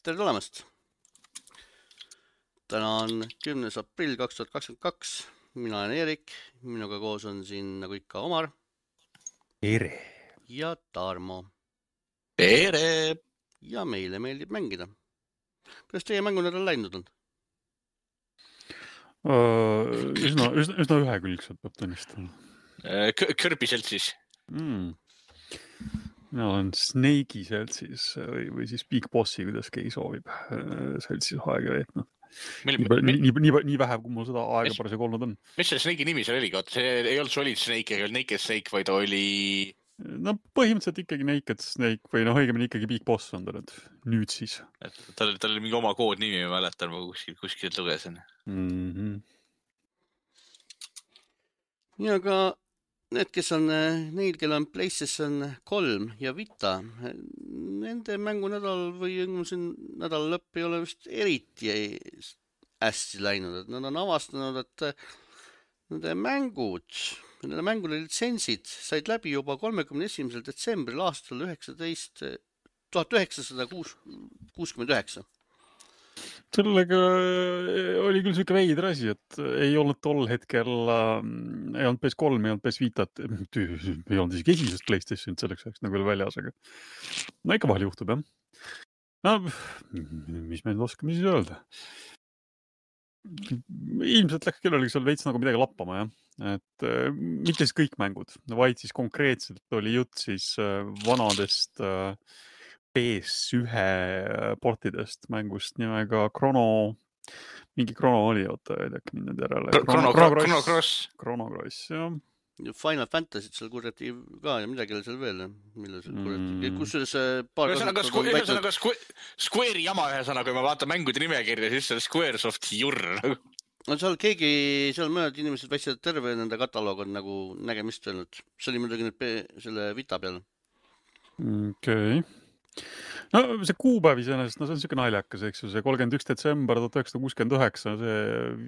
Tere tulemast! Täna on 10. aprill 2022. Mina olen Eerik, minuga koos on siin nagu ikka Omar Tere! ja Tarmo. Tere! Ja meile meeldib mängida. Kuidas teie mängunädal läinud on? Üsna ühekülgselt peab tunnistama. Kirby seltsis. Mina olen Snake'i seltsis või siis Big Bossi, kuidas keegi soovib seltsis aega veetnud. Nii vähe, kui mul seda aega parasjagu olnud on. Mis see Snake'i nimi seal oli? See ei olnud Solid Snake, ei olnud Naked Snake, vaid oli... No põhimõtteliselt ikkagi Naked Snake või õigemini ikkagi Big Boss on ta nüüd siis. Tal oli mingi oma koodnimi, ma mäletan, ma kuskilt lugesin. Ja ka need, kes on neil, kel on PlayStation 3 ja Vita, nende mängunädal või nädala lõpp ei ole vist eriti hästi läinud. Et nad on avastanud, et nende mängude litsentsid said läbi juba 31. detsembril aastal 1969. Sellega oli küll siuke veider asi, et ei olnud tol hetkel, ei olnud PS3, ei olnud PS Vitat, ei olnud isegi esimesest PlayStationit selleks ajaks nagu veel väljas, aga no ikka vahel juhtub, jah. No, mis me nüüd oskame siis öelda? Ilmselt läks kellelegi seal veits nagu midagi lappama, jah. Et mitte siis kõik mängud, vaid siis konkreetselt oli jutt siis vanadest PS1 portidest mängust nimega mingi Chrono oli, oota, ei teak mind nüüd järele. Chrono Cross, jah. Final Fantasy seal kurjati ka ja midagi oli seal veel, mille seal kurjati. Kusjuures paar ühesõnaga Square'i jama ühesõnaga, kui ma vaatan mängude nimekirja, siis see Squaresofti jurr. No seal mõned inimesed väitsid, et terve nende kataloog on nagu nägemist öelnud. See oli muidugi nüüd selle Vita peal. Okei. No see kuupäev iseenesest, no see on siuke naljakas, eks ju, see 31. detsember 1969, see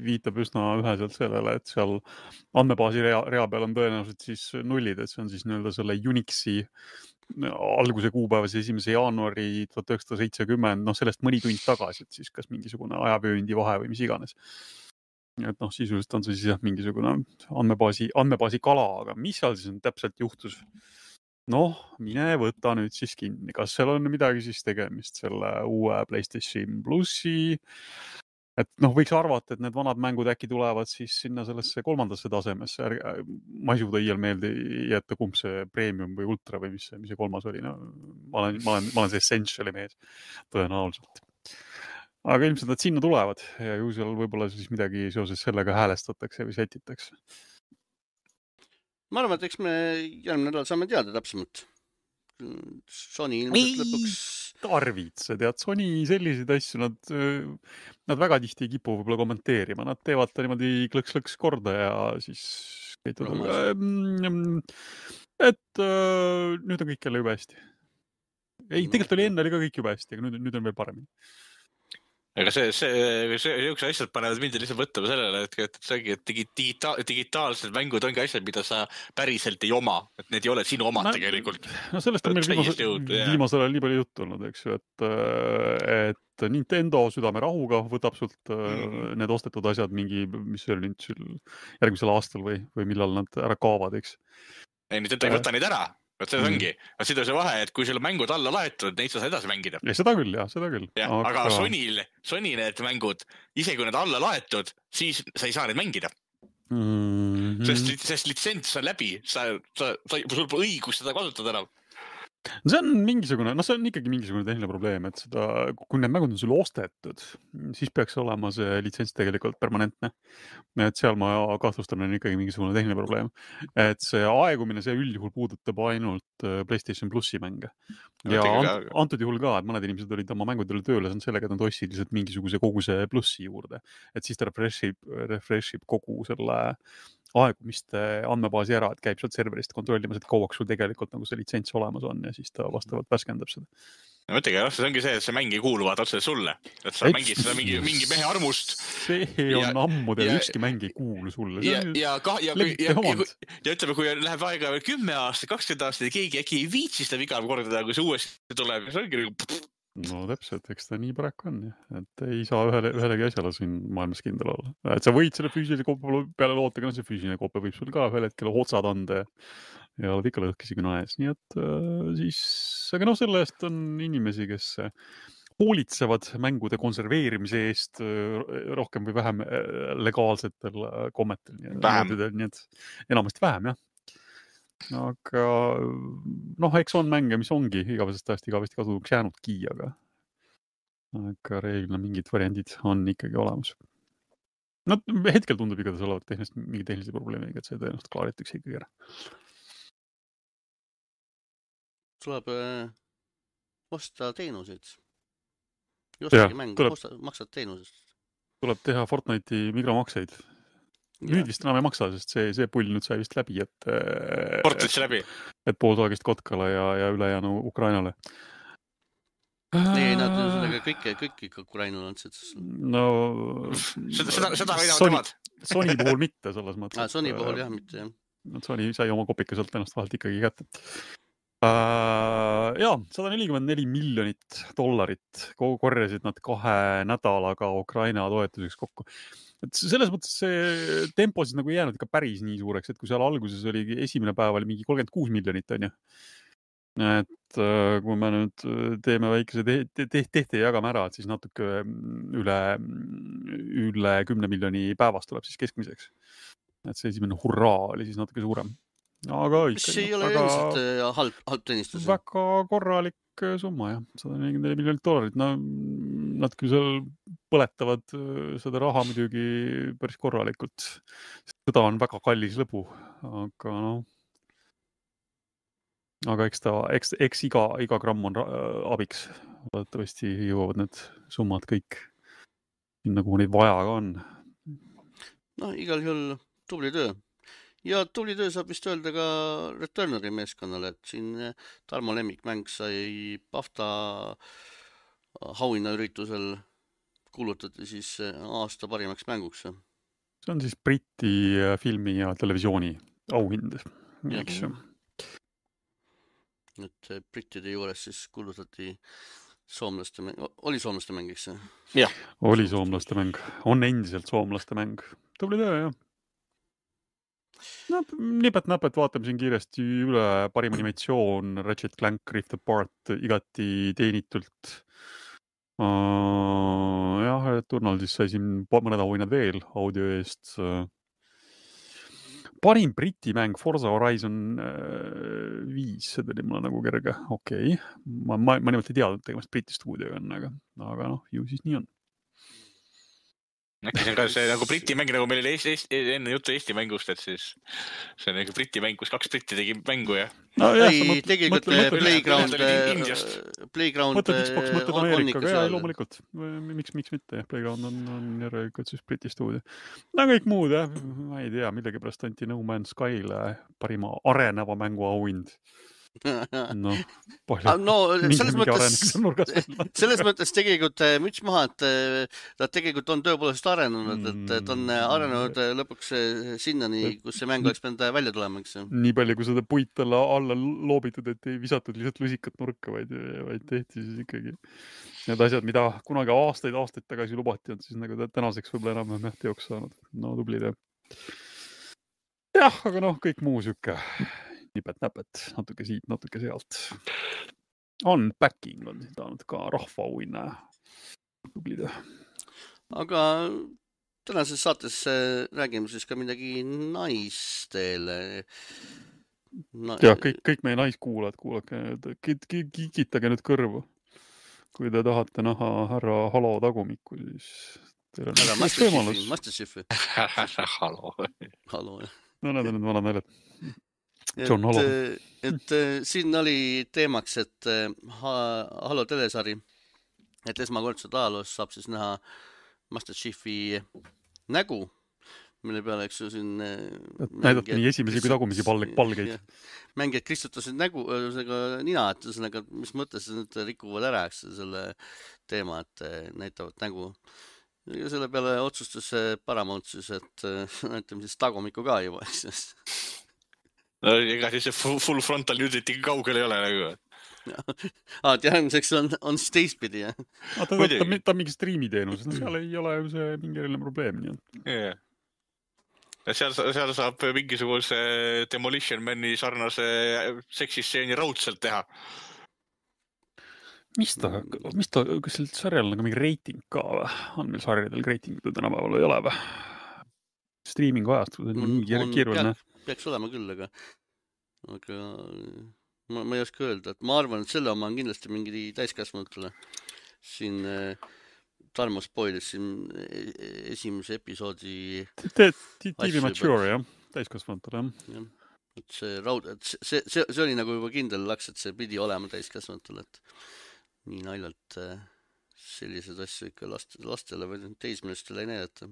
viitab üsna üheselt sellele, et seal andmebaasi rea peal on tõenäoliselt siis nullid, et see on siis nii-öelda selle Unixi alguse kuupäevas 1. jaanuari 1970, sellest mõni tund tagasi, et siis kas mingisugune ajavööndi vahe või mis iganes. Et sisuliselt on see siis mingisugune andmebaasi kala, aga mis seal siis täpselt juhtus? Mine võta nüüd siis kinni. Kas seal on midagi siis tegemist selle uue PlayStation Plussi? Et võiks arvata, et need vanad mängud äkki tulevad siis sinna sellesse 3. tasemesse. Ma ei suuda iial meelde jätta, kumb see Premium või Ultra või mis see 3. oli. Ma olen see Essentiali mees, tõenäoliselt. Aga ilmselt nad sinna tulevad ja ju seal võib-olla siis midagi seoses sellega häälestatakse või setitakse. Ma arvan, et eks me järgmine nädal saame teada täpsemalt. Sony ilmselt lõpuks... Tarvitse, tead, Sony selliseid asju, nad väga tihti ei kipu võib-olla kommenteerima. Nad teevad ta niimoodi klõks korda ja siis... et nüüd on kõik jälle juba hästi. Ei, tegelikult oli enne ka kõik juba hästi, aga nüüd on veel paremini. Aga see asjad panevad mind lihtsalt võttama sellele, et digitaalsed mängud ongi asjad, mida sa päriselt ei oma. Et need ei ole sinu omad tegelikult. Sellest on meil viimasel ajal nii palju juttu olnud, eks ju, et Nintendo südame rahuga võtab sult need ostetud asjad mingi, mis oli nüüd järgmisel aastal või millal nad ära kaovad, eks. Ei, Nintendo ei võta neid ära. Võt see ongi. Seda see vahe, et kui sul mängud alla laetud, neid sa edasi mängida. Ja, seda küll. Aga Sony need mängud, ise kui need alla laetud, siis sa ei saa neid mängida. Sest litsents on läbi, sul pole õigus seda kasutada enam. See on ikkagi mingisugune tehniline probleem, et kui need mängud on sulle ostetud, siis peaks olema see litsents tegelikult permanentne. Et seal ma kahtlustan on ikkagi mingisugune tehniline probleem. Et see aegumine, see üldjuhul puudutab ainult PlayStation Plussi mänge. Ja antud juhul ka, et mõned inimesed olid oma mängudele tööle sellega, et nad ostsid lihtsalt mingisuguse koguse Plussi juurde. Et siis ta refreshib kogu selle aegumiste andmebaasi ära, et käib sealt serverist kontrollimas, et kauaks sul tegelikult nagu see litsents olemas on ja siis ta vastavalt värskendab seda. No mõttegi, see ongi see, et see mäng ei kuuluvad otse sulle. Et sa mängid seda mingi mehe armust. See on ammu teil ükski mäng ei kuulu sulle. Ja ütleme, kui läheb aega 10 aastat, 20 aastat ja keegi äkki ei viitsi seda viga kordada, kui see uuesti tuleb, see ongi no täpselt, eks ta nii paraku on, et ei saa ühelegi asjale siin maailmas kindel olla. Et sa võid selle füüsilise koppe peale loota, aga see füüsiline koppe võib sul ka ühel hetkel otsad anda ja oled ikka lõhkisi küna ees. Nii et siis, aga selle eest on inimesi, kes hoolitsevad mängude konserveerimise eest rohkem või vähem legaalsetel kommetel. Nii et enamasti vähem, jah. Aga eks on mänge, mis ongi igavesest ajast igavesti kasutuks jäänudki, aga reeglina mingid variandid on ikkagi olemas. No hetkel tundub igatahes olevat mingi tehnilise probleemiga, et see tõenäoliselt klaaritakse ikkagi ära. Tuleb osta teenuseid. Jostagi mängu, maksad teenusest. Tuleb teha Fortnite'i mikromakseid. Nüüd vist enam ei maksa, sest see pull nüüd sai vist läbi, et poolsaagist Kotkale ja ülejäänu Ukrainale. Ei, nad sellega kõik ikka Ukrainale andsid. No, seda võidavad temad. Sony puhul mitte selles mõttes. Sony puhul jah, mitte jah. Sony sai oma kopikaselt ennast vahelt ikkagi kätte. Jaa, $144 miljonit korjasid nad 2 nädalaga Ukraina toetuseks kokku. Et selles mõttes see tempo siis nagu ei jäänud ikka päris nii suureks, et kui seal alguses oli esimene päev oli mingi 36 miljonit, on ju. Et kui me nüüd teeme väikese tehte ja jagame ära, et siis natuke üle 10 miljoni päevas tuleb siis keskmiseks. Et see esimene hurraa oli siis natuke suurem. Aga mis ei ole üldiselt halb teenistus? Väga korralik summa, jah. $144 miljonit. No, nad küll seal põletavad seda raha muidugi päris korralikult. Seda on väga kallis lõbu, aga eks iga gramm on abiks. Loodetavasti jõuavad need summad kõik sinna, kuhu neid vaja ka on. No, igal juhul tubli töö. Ja tubli töö saab vist öelda ka Returneri meeskonnale, et siin Tarmo lemmikmäng sai BAFTA auhinnaüritusel kuulutati siis aasta parimaks mänguks. See on siis Briti filmi ja televisiooni auhind, eks ju. Et brittide juures siis kuulutati soomlaste mäng. Oli soomlaste mäng, eks? Jah. Oli soomlaste mäng. On endiselt soomlaste mäng. Tubli töö, jah. No, nipet-näpet vaatame siin kiiresti üle parim animatsioon, Ratchet Clank Rift Apart igati teenitult. Jah, Turnal siis sai siin mõned auhinnad veel audio eest. Parim briti mäng Forza Horizon 5, see tuli mulle nagu kerge. Okei. Ma nimelt ei teadnud tegemast briti stuudioga on, aga ju siis nii on. Äkki see on ka see nagu briti mäng, nagu meil oli enne juttu Eesti mängust, et siis see on nagu briti mäng, kus 2 britti tegi mängu ja... No, ei, tegelikult Playground mõtled Xbox, mõtled Ameerikaga, jah, loomulikult. Miks mitte, jah, Playground on järelikult siis briti stuudio. No kõik muud, jah, ma ei tea, millegi pärast anti No Man's Skyle parima areneva mängu auhind. Selles mõttes tegelikult müts maha, et ta tegelikult on tõepoolest arenenud, et ta on arenenud lõpuks sinnani, kus see mäng oleks pidanud välja tulema. Nii palju, kui seda puit alla loobitud, et ei visatud lihtsalt lusikat nurka, vaid tehti siis ikkagi need asjad, mida kunagi aastaid tagasi lubati, on siis nagu tänaseks võib-olla enam teoks saanud. No tubli töö. Jah, aga kõik muu sükke. Nipet-näpet, natuke siit, natuke sealt. Unpacking on saanud ka rahvaauhinna. Tubli töö. Aga tänases saates räägime siis ka midagi naistele. Ja kõik meie naiskuulad, kikitage nüüd kõrvu. Kui te tahate näha härra Halo tagumikku, siis teil on Masterchefi. Halo. No need on need vanad näljad. Et siin oli teemaks, et Halo telesari, et esmakordselt ajaloos saab siis näha Masterchefi nägu, mille peale, eks ju, siin näidati nii esimesi kui tagumisi palgeid. Mängijad kristutasid nägu, nina, et mis mõttes nüüd rikuvad ära, eks selle teema, et näitavad nägu. Ja selle peale otsustas Paramount siis, et näitame siis tagumiku ka juba, eks. No ega siis see full frontal nudity kaugel ei ole nagu. järgmiseks on siis teistpidi, jah? Ta on mingi striimiteenus, no seal ei ole ju see mingi eriline probleem. Yeah. Ja seal saab mingisuguse Demolition Mani sarnase seksistseeni raudselt teha. Mis ta, kas sel sarjal on mingi reiting ka või? On meil sarjadel reitingud tänapäeval ei ole või? Streamingu ajast, keeruline. Peaks olema küll, aga ma ei oska öelda, et ma arvan, et selle oma on kindlasti mingi täiskasvanutele. Siin Tarmo spoilis siin esimese episoodi TV Mature, jah, täiskasvanutele. Et see oli nagu juba kindel laks, et see pidi olema täiskasvanutele, et nii naljalt sellised asju ikka lastele või teismelistele ei näidata.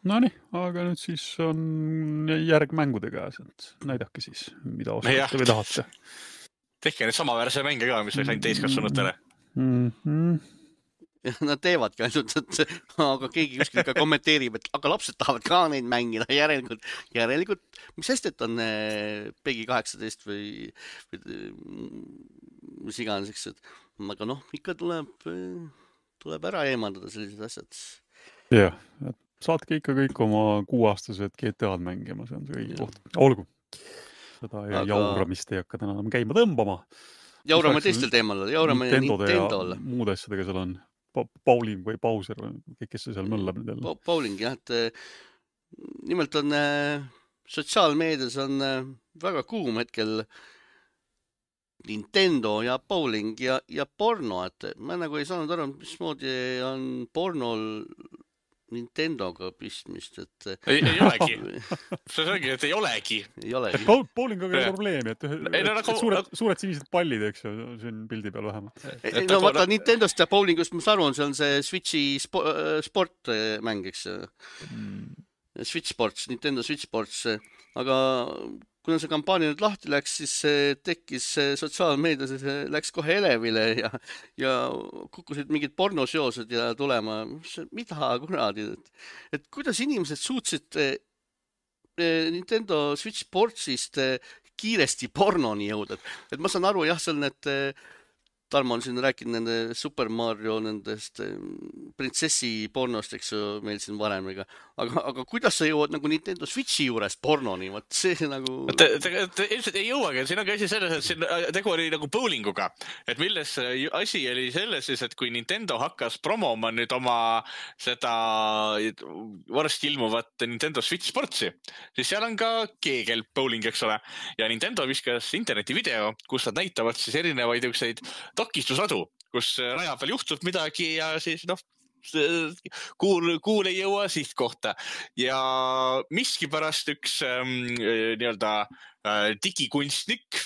Nonii, aga nüüd siis on järg mängude käes, et näidake siis, mida oskate või tahate. Tehke need samaväärse mänge ka, mis sain täiskasvanutele. Nad teevadki ainult, aga keegi kuskil ka kommenteerib, et aga lapsed tahavad ka neid mängida, järelikult, mis hästi, et on Pegi 18 või mis iganes, eks, aga ikka tuleb ära eemaldada sellised asjad. Jah, saatke ikka kõik oma 6-aastased GTA-d mängima, see on see kõigi koht. Olgu, seda jauramist ei hakka täna käima tõmbama. Jaurame teistel teemal, jaurame Nintendo'le. Muud asjadega seal on Pauling või Bowser või kes see seal mõllab nüüd jälle? Pauling, jah, et nimelt on sotsiaalmeedias on väga kuum hetkel Nintendo ja Pauling ja porno, et ma nagu ei saanud aru, mismoodi on pornol Nintendoga pistmist, et ei olegi. See ongi, et ei olegi. Pauling on ka probleemi, et suured sinised pallid, eks ju, siin pildi peal vähemalt. No vaata, Nintendost ja Paulingust, mis aru on, see on see Switchi sportmäng, eks ju. Switch Sports, Nintendo Switch Sports, aga kuna see kampaania nüüd lahti läks, siis tekkis sotsiaalmeedias, läks kohe elevile ja kukkusid mingid pornoseosed ja tulema. Mida kuradi? Et kuidas inimesed suutsid Nintendo Switch Sportsist kiiresti pornoni jõuda? Et ma saan aru, jah, seal need Tarmo on siin rääkinud nende Super Mario, nendest printsessi pornost, eks ju, meil siin varem, aga kuidas sa jõuad nagu Nintendo Switchi juures pornoni? Vaat see nagu... Ilmselt ei jõuagi, siin on ka asi selles, et siin tegu oli nagu bowlinguga, et milles asi oli selles siis, et kui Nintendo hakkas promoma nüüd oma seda varsti ilmuvat Nintendo Switch Sportsi, siis seal on ka keegel bowling, eks ole, ja Nintendo viskas interneti video, kus nad näitavad siis erinevaid ükseid takistusadu, kus raja peal juhtub midagi ja siis kuul ei jõua sihtkohta. Ja miskipärast üks nii-öelda digikunstnik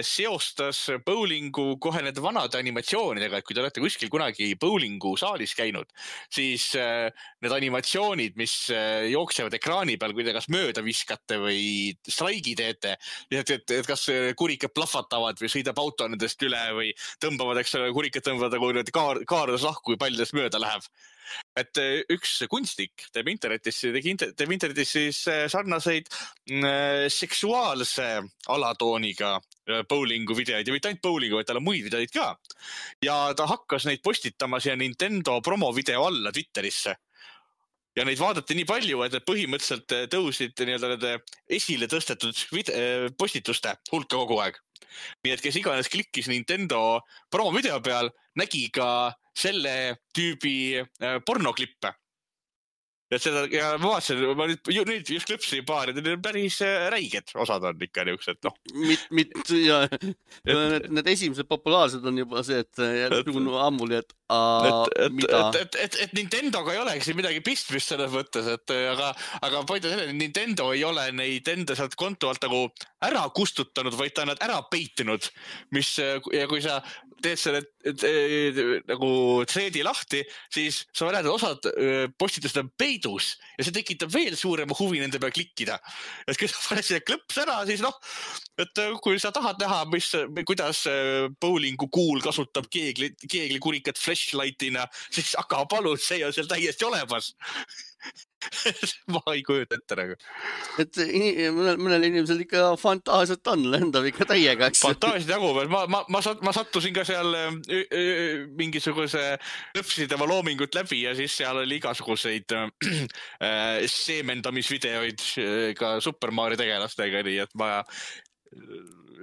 seostas bowlingu kohe need vanade animatsioonidega, et kui te olete kuskil kunagi bowlingu saalis käinud, siis need animatsioonid, mis jooksevad ekraani peal, kui te kas mööda viskate või straigi teete, et kas kurikad plahvatavad või sõidab auto nendest üle või tõmbavad, eks kurikad tõmbavad nagu kaardes lahku, kui paljudest mööda läheb. Et üks kunstnik teeb internetis siis sarnaseid seksuaalse alatooniga bowlingu videoid ja mitte ainult bowlingu, vaid tal on muid videoid ka. Ja ta hakkas neid postitama siia Nintendo promovideo alla Twitterisse. Ja neid vaadati nii palju, et põhimõtteliselt tõusid nii-öelda esile tõstetud postituste hulka kogu aeg. Nii et kes iganes klikkis Nintendo promovideo peal, nägi ka selle tüübi pornoklippe. Ja ma vaatasin, ma nüüd just klõpsin paar, et need on päris räiged osad on ikka niisugused, Need esimesed populaarsed on juba see, et ammuli, et Nintendoga ei olegi siin midagi pistmist selles mõttes, aga point on selle, et Nintendo ei ole neid enda sealt konto alt nagu ära kustutanud, vaid ta on nad ära peitinud, ja kui sa teed selle nagu threadi lahti, siis sa näed, et osad postitused on peidus ja see tekitab veel suurema huvi nende peal klikkida. Et kui sa paned selle klõps ära, siis et kui sa tahad näha, kuidas bowlingu kuul kasutab keegli kurikat flashlightina, siis aga palun, see on seal täiesti olemas. ma ei kujuta ette nagu. Et mõnel inimesel ikka fantaasiat on, lendab ikka täiega. Fantaasiat jagub. Ma sattusin ka seal mingisuguse lõpsideva loomingut läbi ja siis seal oli igasuguseid seemendamisvideoid ka Super Mario tegelastega, nii et ma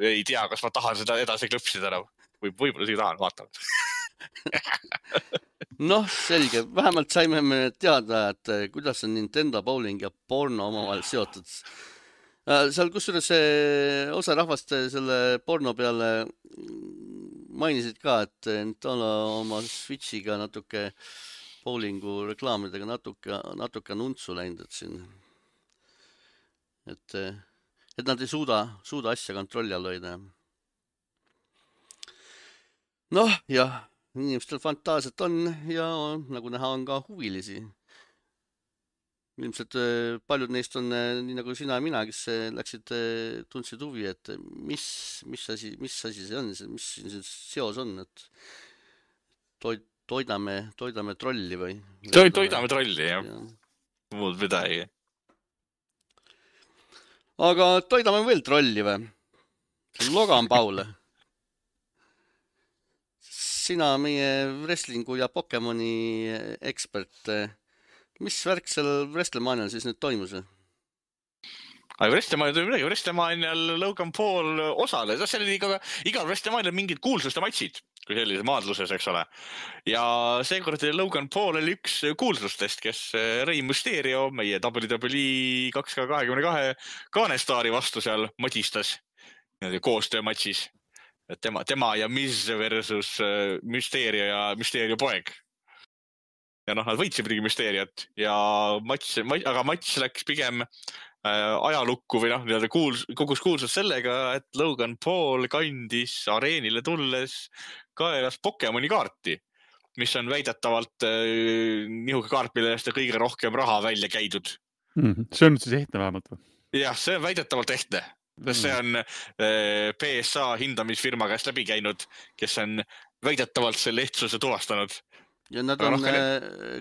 ei tea, kas ma tahan seda edasi klõpsida enam. Võib-olla isegi tahan, vaatavad. Noh, selge. Vähemalt saime me teada, et kuidas on Nintendo bowling ja porno omavahel seotud. Seal kusjuures osa rahvast selle porno peale mainisid ka, et Nintendo oma Switchiga natuke bowlingu reklaamidega natuke nuntsu läinud, et nad ei suuda asja kontrolli all hoida. Noh, jah. Inimestel fantaasiat on ja nagu näha on ka huvilisi. Ilmselt paljud neist on nii nagu sina ja mina, kes läksid, tundsid huvi, et mis asi see on, mis siin seos on, et toidame trolli või? Toidame trolli, jah. Muud midagi. Aga toidame veel trolli või? Logan Paul. Sina meie wrestlingu ja Pokemoni ekspert. Mis värk seal WrestleManial siis nüüd toimus? WrestleManial toimub midagi. WrestleManial Logan Paul osales. Seal oli igal WrestleManial mingid kuulsuste matšid, kui sellise maadluses, eks ole. Ja seekord Logan Paul oli üks kuulsustest, kes Rey Mysterio, meie WWE 2K22 kaanestaari vastu seal madistas koostöömatšis. Tema ja Miz versus Mysterio ja Mysterio poeg. Ja nad võitsid midagi Mysteriot ja aga matš läks pigem ajalukku või kogus kuulsus sellega, et Logan Paul kandis areenile tulles kaelas Pokemoni kaarti, mis on väidetavalt nihuke kaart, mille eest kõige rohkem raha välja käidud. See on siis ehtne vähemalt või? Jah, see on väidetavalt ehtne. See on PSA hindamisfirma käest läbi käinud, kes on väidetavalt selle ehtsuse tuvastanud. Ja nad on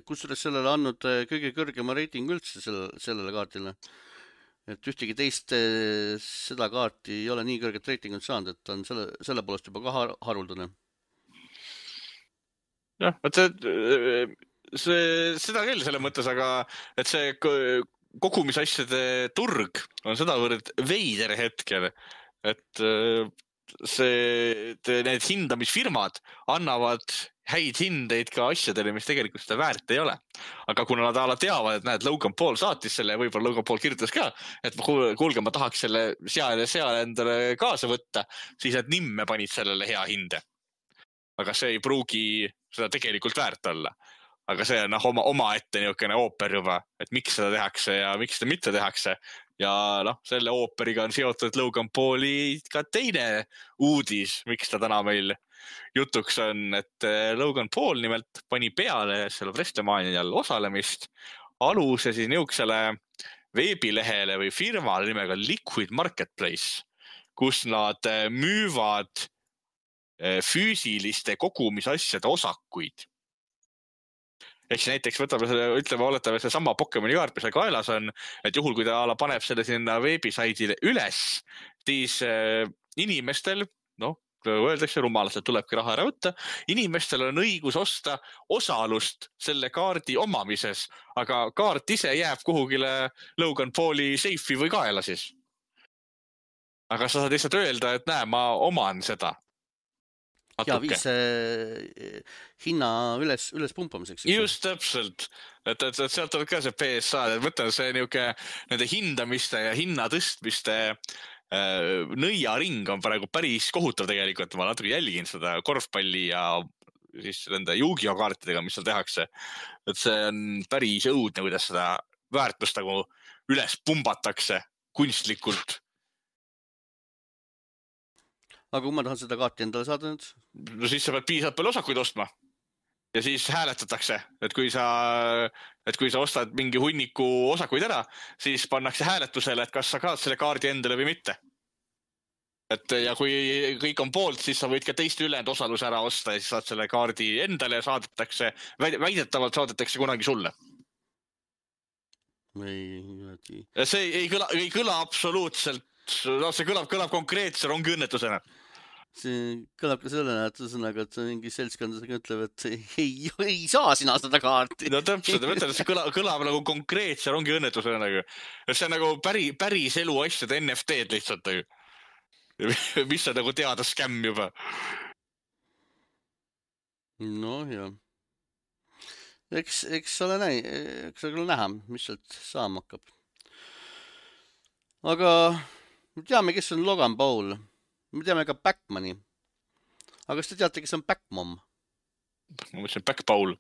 kusjuures sellele andnud kõige kõrgema reiting üldse sellele kaartile. Et ühtegi teist seda kaarti ei ole nii kõrget reitingut saanud, et on selle poolest juba ka haruldane. Jah, seda küll selle mõttes, aga et see kogumisasjade turg on sedavõrd veider hetkel, et need hindamisfirmad annavad häid hindeid ka asjadele, mis tegelikult seda väärt ei ole. Aga kuna nad teavad, et näed, Logan Paul saatis selle, võib-olla Logan Paul kirjutas ka, et kuulge, ma tahaks selle seal endale kaasa võtta, siis nad nimme panid sellele hea hinde. Aga see ei pruugi seda tegelikult väärt olla. Aga see on oma ette niisugune ooper juba, et miks seda tehakse ja miks seda mitte tehakse. Ja selle ooperiga on seotud Logan Pauli ka teine uudis, miks ta täna meil jutuks on, et Logan Paul nimelt pani peale selle WrestleManial osalemist aluse siis niisugusele veebilehele või firmale nimega Liquid Marketplace, kus nad müüvad füüsiliste kogumisasjade osakuid. Ehk näiteks oletame see sama Pokemoni kaart, mis kaelas on, et juhul, kui ta paneb selle sinna veebisaidile üles, siis inimestel, öeldakse rumalasti, et tulebki raha ära võtta, inimestel on õigus osta osalust selle kaardi omamises, aga kaart ise jääb kuhugile Logan Pauli seifi või kaela siis. Aga sa saad lihtsalt öelda, et näe, ma oman seda. Ja viis hinna üles pumpamiseks. Just täpselt. Et sealt on ka see PSA, et mõtlen see nende hindamiste ja hinna tõstmiste nõiaring on praegu päris kohutav tegelikult. Ma natuke jälgin seda korvpalli ja siis nende Yu-Gi-Oh kaartidega, mis seal tehakse. Et see on päris õudne, kuidas seda väärtust nagu üles pumbatakse kunstlikult. Aga kui ma tahan seda kaarti endale saada nüüd? No siis sa pead piisavalt palju osakuid ostma. Ja siis hääletatakse, et kui sa ostad mingi hunniku osakuid ära, siis pannakse hääletusele, et kas sa kaad selle kaardi endale või mitte. Ja kui kõik on poolt, siis sa võid ka teiste ülejäänud osaluse ära osta ja siis saad selle kaardi endale ja väidetavalt saadetakse kunagi sulle. See ei kõla absoluutselt, see kõlab konkreetse rongiõnnetusena. See kõlab ka sellena, et ühesõnaga, et mingi seltskondadega ütleb, et ei saa sina seda kaarti. No täpselt, mõtlen, et see kõlab nagu konkreetse rongiõnnetusena nagu. See on nagu päris elu asjade NFT-d lihtsalt nagu. Mis on nagu teada skämm juba. No jah. Eks ole näha, mis sealt saama hakkab. Aga me teame, kes on Logan Paul. Me teame ka Backmani. Aga kas te teate, kes on Backmom? Ma mõtlesin Backpaul.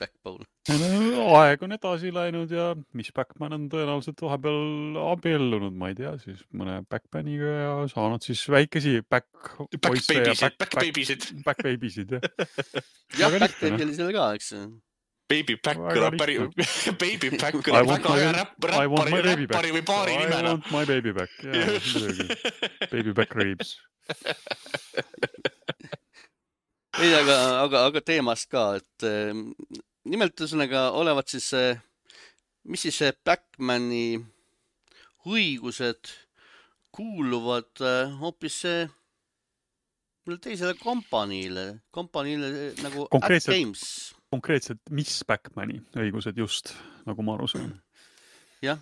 Backpaul. Aeg on edasi läinud ja Miss Backman on tõenäoliselt vahepeal abiellunud, ma ei tea, siis mõne Backmaniga ja saanud siis väikesi Backbabysid. Backbabysid, jah. Jah, Backbaby oli seal ka, eks. Baby Back kõlab Baby Back kõlab väga hea räppari või baari nimena. I want my baby back, jah. Baby Back Ribs. Ei, aga teemast ka, et nimelt ühesõnaga olevat siis, mis siis Backmani õigused kuuluvad hoopis teisele kompaniile nagu AtGames. Konkreetselt Miss Backmani õigused just, nagu ma aru saan. Jah.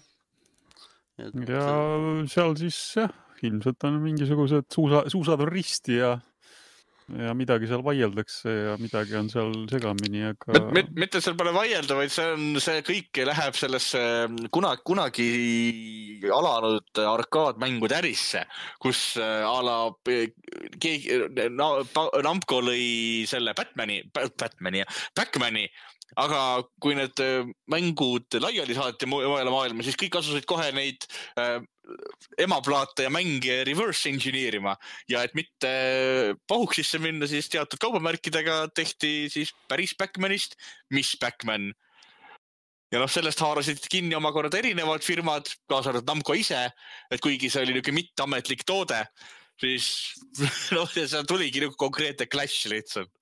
Ja seal siis ilmselt on mingisugused suusad on risti ja midagi seal vaieldakse ja midagi on seal segamini, aga... Mitte seal pole vaielda, vaid see kõik läheb sellesse kunagi alanud arkaadmängude ärisse, kus Namco lõi selle Backmani, aga kui need mängud laiali saati mujale maailma, siis kõik asusid kohe neid emaplaate ja mänge reverse engineerima ja et mitte pahuks sisse minna, siis teatud kaubamärkidega tehti siis päris Backmanist Miss Backman. Ja sellest haarasid kinni omakorda erinevad firmad, kaasa arvatud Namco ise, et kuigi see oli niisugune mitteametlik toode, siis seal tuligi niisugune konkreetne clash lihtsalt.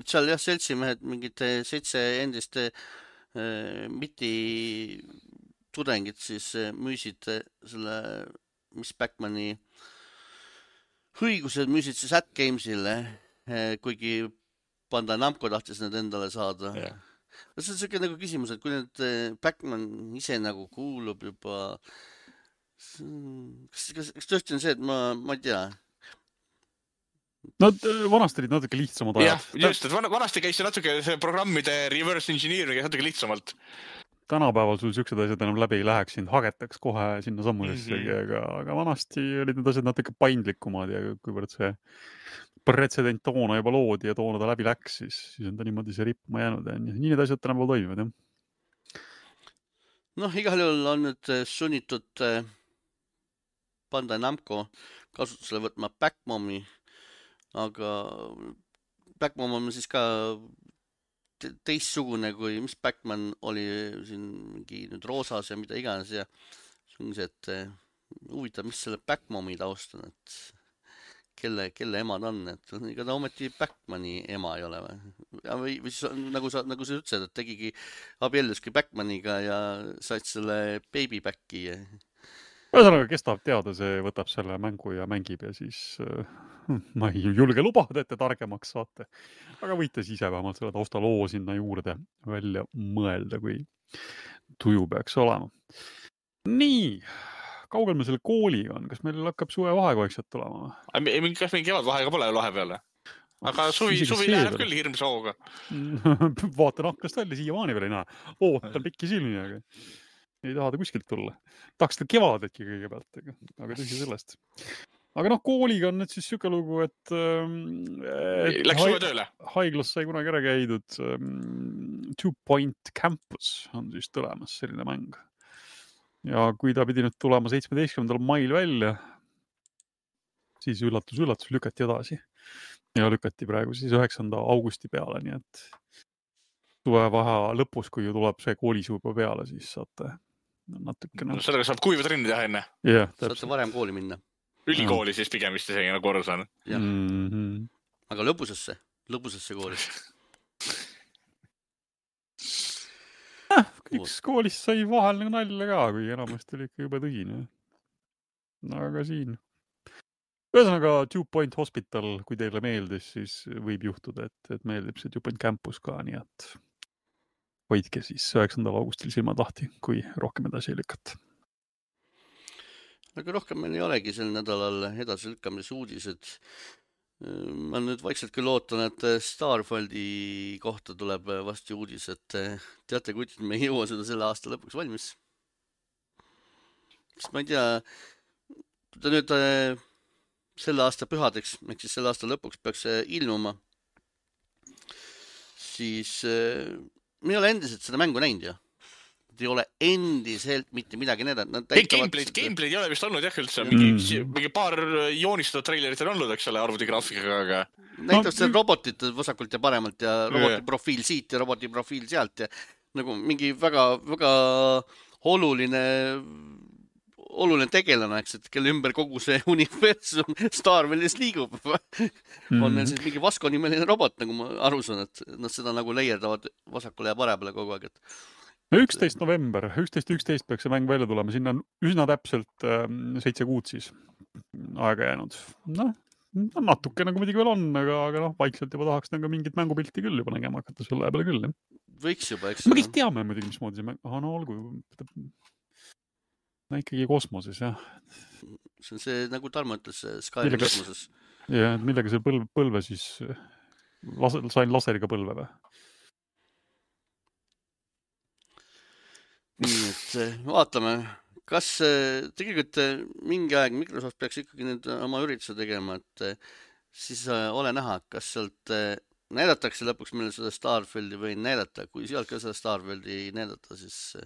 Seal jah, seltsimehed mingid 7 endist miti tudengid siis müüsid selle Miss Backmani õigused müüsid siis AtGamesile, kuigi Bandai Namco tahtis need endale saada. Yeah. See on selline nagu küsimus, et kui nüüd Backman ise nagu kuulub juba, kas tõesti on see, et ma ei tea? No vanasti olid natuke lihtsamad ajad. Jah, just, et vanasti käis see natuke programmide reverse engineering natuke lihtsamalt. Tänapäeval sul siuksed asjad enam läbi ei läheks, sind hagetaks kohe sinna sammusessegi, aga vanasti olid need asjad natuke paindlikumad ja kuivõrd see pretsedent toona juba loodi ja toona ta läbi läks, siis on ta niimoodi see rippuma jäänud ja nii need asjad tänapäeval toimivad, jah. Igal juhul on nüüd sunnitud Bandai Namco kasutusele võtma Backmomi, aga Backmom on siis ka teistsugune kui Miss Backman oli siin mingi nüüd roosas ja mida iganes ja see, et huvitav, mis selle Backmomi taust on, et kelle ema ta on, et ega ta ometi Backmani ema ei ole või siis nagu sa ütlesid, et tegigi abielluski Backmaniga ja said selle baby backi. Ühesõnaga, kes tahab teada, see võtab selle mängu ja mängib ja siis ma ei julge lubada, et te targemaks saate. Aga võite siis ise vähemalt selle taustaloo sinna juurde välja mõelda, kui tuju peaks olema. Nii, kaugel me selle kooliga on? Kas meil hakkab suve vahekoeksed tulema? Kas mingi kevad vahega pole vahepeale? Aga suvi läheneb küll hirmsa hooga. Vaatan hakkast välja, siiamaani veel ei näe. Ootan pikki silmi, aga ei taha ta kuskilt tulla. Tahaks ta kevadetki kõigepealt, aga tõsi sellest. Aga kooliga on nüüd siis siuke lugu, et läks suve tööle. Haiglas sai kunagi ära käidud 2 Point Campus on siis tulemas selline mäng. Ja kui ta pidi nüüd tulema 17. mail välja, siis üllatus, lükati edasi. Ja lükati praegu siis 9. augusti peale, nii et suvevahe lõpus, kui ju tuleb see koolisuu juba peale, siis saate natukene... Sellega saab kuiva trenni teha enne. Yeah, saate varem kooli minna. Ülikooli siis pigem vist isegi nagu korra saan. Aga lõbusesse kooli. üks koolis sai vahel nagu nalja ka, kui enamasti oli ikka juba tõgine. Aga siin. Ühesõnaga, Dew Point Hospital, kui teile meeldis, siis võib juhtuda, et meeldib see Dew Point Campus ka, nii et hoidke siis 9. augustil silmad lahti, kui rohkem edasi ei lükata. Aga rohkem meil ei olegi sel nädalal edasi lükkamise uudised. Ma nüüd vaikselt küll ootan, et Starfieldi kohta tuleb vasti uudis, et teate, kuidas me ei jõua seda selle aasta lõpuks valmis. Sest ma ei tea, kui ta nüüd selle aasta pühadeks, ehk siis selle aasta lõpuks peaks ilmuma, siis me ei ole endiselt seda mängu näinud ja ei ole endiselt mitte midagi näidanud. Gameplay'd ei ole vist olnud jah üldse. Mingi paar joonistatud trailerit on olnud, eks ole, arvutigraafikaga, aga... Näitab see robotit vasakult ja paremalt ja roboti profiil siit ja roboti profiil sealt ja nagu mingi väga oluline tegelane, eks, et kelle ümber kogu see universum Starfields liigub. On neil siis mingi Vasco nimeline robot, nagu ma aru saan, et nad seda nagu leierdavad vasakule ja paremale kogu aeg, et 11. november, 11.11 peaks see mäng välja tulema, sinna on üsna täpselt 7 kuud siis aega jäänud. Natuke nagu muidugi veel on, aga vaikselt juba tahaks nagu mingit mängupilti küll juba nägema hakata selle peale küll. Võiks juba, eks. Me kõik teame muidugi, mismoodi see mäng, olgu, ikkagi kosmoses, jah. See on see, nagu Tarmo ütles, Skyrim kosmoses. Ja, millega see põlve siis, sain laseriga põlve või? Nii, et vaatame, kas tegelikult mingi aeg Microsoft peaks ikkagi nüüd oma ürituse tegema, et siis ole näha, kas sealt näidatakse lõpuks meile seda Starfieldi või näidata. Kui sealt ka seda Starfieldi ei näidata, siis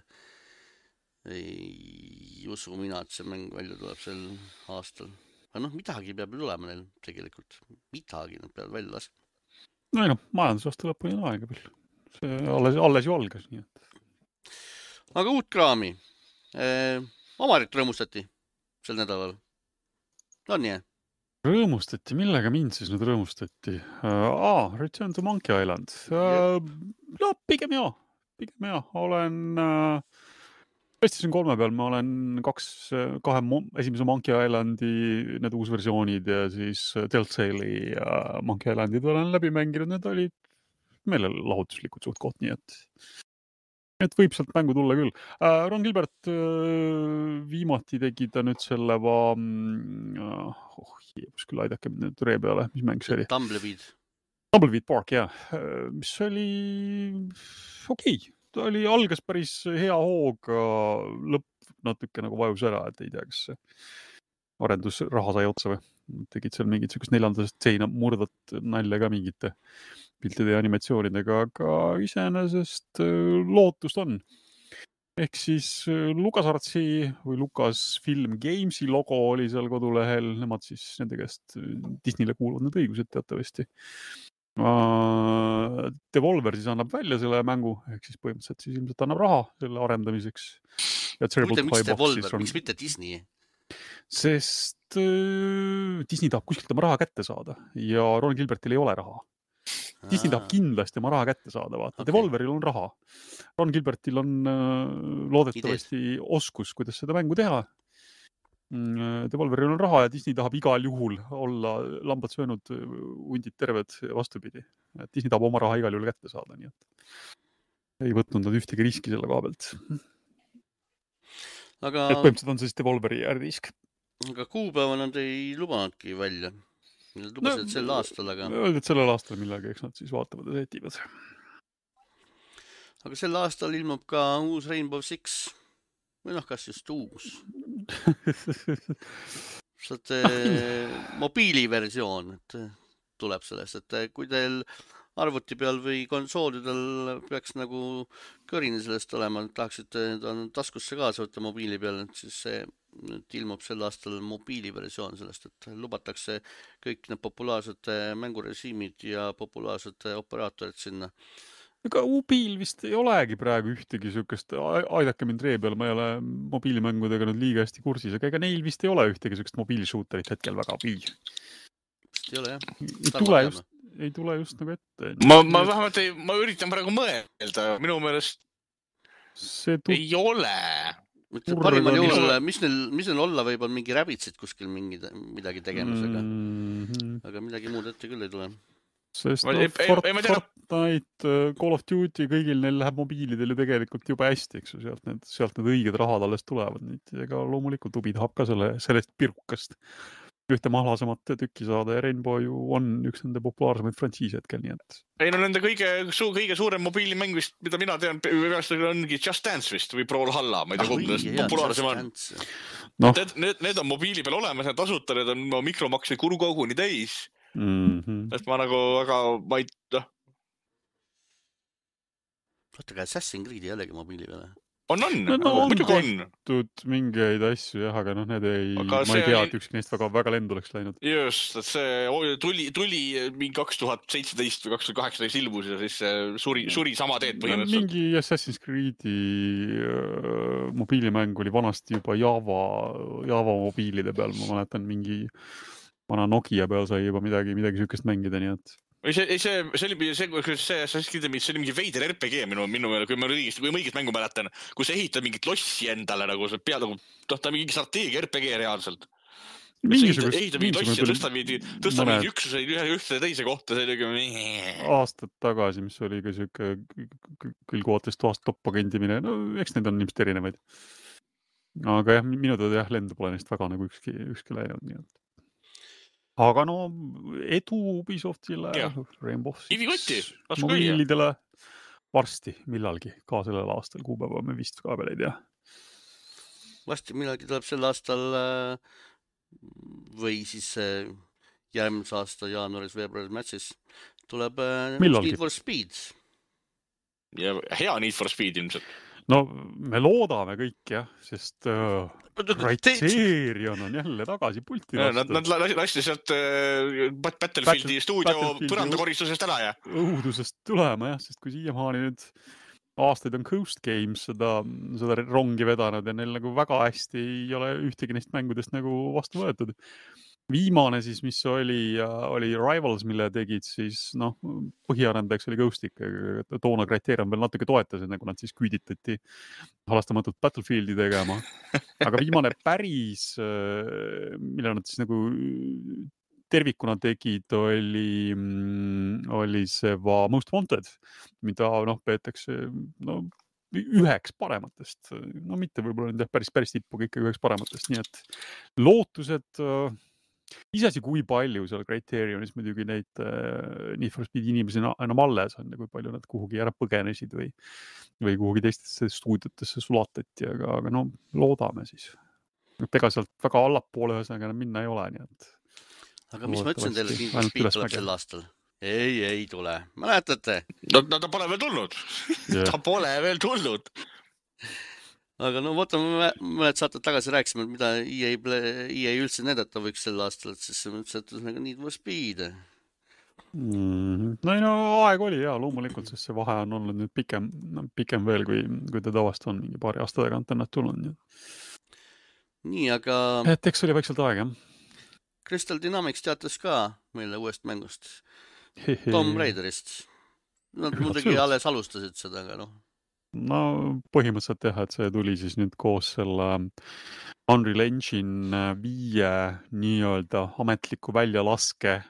ei usu mina, et see mäng välja tuleb sel aastal. Aga midagi peab tulema neil tegelikult. Midagi nad peavad välja laskma. Majandusaasta lõpuni on aega veel. See alles ju algas, nii et. Aga uut kraami. Omarit rõõmustati sel nädalal. On nii? Rõõmustati, millega mind siis nüüd rõõmustati? Return to Monkey Island. Pigem jah. Olen PlayStation 3 peal, ma olen kahe esimese Monkey Islandi need uusversioonid ja siis Telltale'i ja Monkey Islandid olen läbi mänginud. Need olid meelelahutuslikud suht koht, nii et võib sealt mängu tulla küll. Ron Gilbert viimati tegi ta nüüd selle küll aidake nüüd ree peale, mis mäng see oli? Tumbleweed Park, jah. Mis oli okei. Ta algas päris hea hooga, lõpp natuke nagu vajus ära, et ei tea, kas arendusraha sai otsa või. Tegid seal mingit sellist 4. seina murdat nalja ka mingite piltide ja animatsioonidega, aga iseenesest lootust on. Ehk siis LucasArtsi või Lucasfilm Gamesi logo oli seal kodulehel, nemad siis nende käest Disneyle kuuluvad need õigused teatavasti. Devolver siis annab välja selle mängu, ehk siis põhimõtteliselt siis ilmselt annab raha selle arendamiseks. Miks Devolver, miks mitte Disney? Sest Disney tahab kuskilt oma raha kätte saada ja Ron Gilbertil ei ole raha. Disney tahab kindlasti oma raha kätte saada, vaata. Okay. Devolveril on raha. Ron Gilbertil on loodetavasti oskus, kuidas seda mängu teha. Devolveril on raha ja Disney tahab igal juhul olla lambad söönud hundid terved vastupidi. Disney tahab oma raha igal juhul kätte saada, nii et ei võtnud nad ühtegi riski selle koha pealt. Aga... Et põhimõtteliselt on siis Devolveri äririsk. Aga kuupäeva nad ei lubanudki välja. Nad lubasid sel aastal, aga... Öeldud sellel aastal millega, eks nad siis vaatavad ja setivad. Aga sel aastal ilmub ka uus Rainbow Six. Või kas just uus. Mobiiliversioon tuleb sellest, et kui teil arvuti peal või konsoolidel peaks nagu kõrini sellest olema, tahaksite taskusse kaasa võtta mobiili peal, siis see ilmub sel aastal mobiiliversioon sellest, et lubatakse kõik need populaarsed mängurežiimid ja populaarsed operaatorid sinna. Aga mobiil vist ei olegi praegu ühtegi sükest, aidake mind ree peal, ma ei ole mobiilimängudega nüüd liiga hästi kursis, aga ega neil vist ei ole ühtegi sükest mobiilisuuterit hetkel väga või. Vist ei ole, jah. Ei tule just nagu ette. Ma vähemalt ma üritan praegu mõelda, minu meelest ei ole. Parimal juhul, mis neil olla võib, on mingi räbitsid kuskil midagi tegemisega. Aga midagi muud ette küll ei tule. Sest Fortnite, Call of Duty, kõigil neil läheb mobiilidel ju tegelikult juba hästi, eks ju, sealt need õiged rahad alles tulevad. Ega loomulikult Ubi tahab ka sellest pirukast ühte mahlasemat tükki saada ja Rainbow ju on üks nende populaarsemaid frantsiise hetkel, nii et... Ei, no nende kõige suurem mobiilimäng vist, mida mina tean, ongi Just Dance vist või Brawl Halla, ma ei tea, kumbadest populaarsem on. No. Need on mobiili peal olemas, need tasuta, need on mikromakseid koguni täis. Et ma nagu väga, ma ei... Vaata ka Assassin's Creed ei olegi mobiili peale. On, muidugi on. Mingeid asju, jah, aga need ma ei tea, et ükski neist väga lendu oleks läinud. Just, et see tuli mingi 2017 või 2018 ilmus ja siis suri sama teed põhimõtteliselt. Mingi Assassin's Creed'i mobiilimäng oli vanasti juba Java mobiilide peal, ma mäletan mingi vana Nokia peal sai juba midagi sükest mängida, nii et... See oli mingi veider RPG minu meele, kui ma õigest mängu mäletan, kus ehitad mingit lossi endale, nagu pead, ta mingi strateegia RPG reaalselt. Ehitad mingit lossi ja tõsta mingi üksuseid ühte teise kohta, see oli aastad tagasi, mis oli ka siuke küll kootest toast toppagandimine, no eks need on ilmselt erinevaid. Aga jah, minu tõde lendu pole neist väga nagu ükski läinud, nii et. Aga no edu Ubisoftile, Rainbow Six mobiilidele varsti millalgi ka sellel aastal kuupäeva me vist ka veel ei tea. Varsti millalgi tuleb sel aastal või siis järgmise aasta jaanuaris, veebruaris, märtsis tuleb Need for Speed. Ja hea Need for Speed ilmselt. No me loodame kõik jah, sest Criterion on jälle tagasi pulti vastu. Nad lasti sealt Battlefieldi stuudio põrandakoristusest ära ja. Õudusest tulema jah, sest kui siiamaani nüüd aastaid on Coast Games seda rongi vedanud ja neil nagu väga hästi ei ole ühtegi neist mängudest nagu vastu võetud. Viimane siis, mis oli Rivals, mille tegid siis, põhiarendajaks oli Ghostik, toona Criterion veel natuke toetas, nagu nad siis küüditati halastamatult Battlefieldi tegema. Aga viimane päris, mille nad siis nagu tervikuna tegid, oli see Most Wanted, mida peetakse üheks parematest. Mitte võib-olla nende päris tippu, ikka üheks parematest. Nii et lootused... Isesi kui palju seal Criterionis muidugi neid Need for Speed inimesi enam alles on ja kui palju nad kuhugi ära põgenesid või kuhugi teistesse stuudiotesse sulatati, aga loodame siis. Ega sealt väga allapoole ühesõnaga minna ei ole, nii et... Aga mis ma ütlesin teile, Need for Speed tuleb sel aastal? Ei tule. Mäletate? Ta pole veel tulnud. Ta pole veel tulnud. Aga mõned saated tagasi rääkisime, mida EA üldse näidata võiks sel aastal, et siis mõtlesin, et Need for Speed. Aeg oli ja loomulikult, sest see vahe on olnud nüüd pikem veel, kui ta tavast on mingi paari aasta tagant ennast tulnud. Nii, aga... Et eks oli vaikselt aeg, jah. Crystal Dynamics teatas ka meile uuest mängust. Tomb Raiderist. Nad muidugi alles alustasid seda, aga põhimõtteliselt jah, et see tuli siis nüüd koos selle Unreal Engine 5 nii-öelda ametliku väljalaske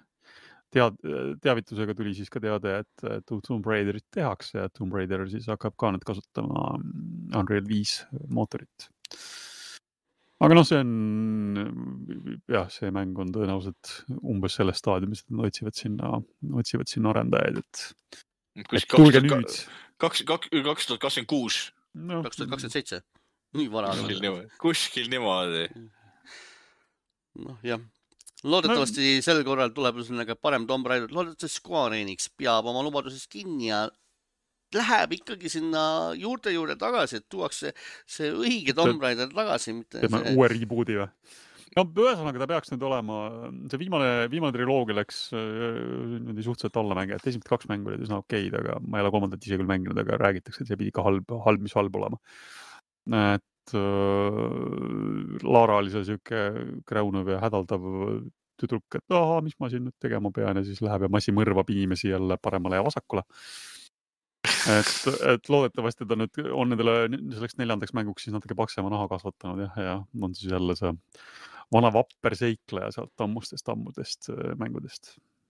teavitusega tuli siis ka teade, et Tomb Raiderit tehakse ja Tomb Raider siis hakkab ka nüüd kasutama Unreal 5 mootorit. Aga see on, see mäng on tõenäoliselt umbes selles staadiumis, et nad otsivad sinna arendajaid, et tulge nüüd. 2026. 2027. Nii vara. Kuskil niimoodi. Jah. Loodetavasti sel korral tuleb parem Tomb Raider. Loodetavasti Square Enix peab oma lubadusest kinni ja läheb ikkagi sinna juurde tagasi, et tuuakse see õige Tomb Raider tagasi. Teeme uue rebooti või? Ühesõnaga ta peaks nüüd olema, see viimane triloogia läks suhteliselt alla mängija, et esimesed 2 mängu olid üsna okeid, aga ma ei ole 3. ise küll mänginud, aga räägitakse, et see pidi ka halb, mis halb olema. Et Lara oli see siuke kräunuv ja hädaldav tüdruk, et mis ma siin nüüd tegema pean ja siis läheb ja massi mõrvab inimesi jälle paremale ja vasakule. et loodetavasti ta nüüd on nendele selleks 4. mänguks siis natuke paksema naha kasvatanud ja on siis jälle see vana vapper seikleja sealt ammudest mängudest.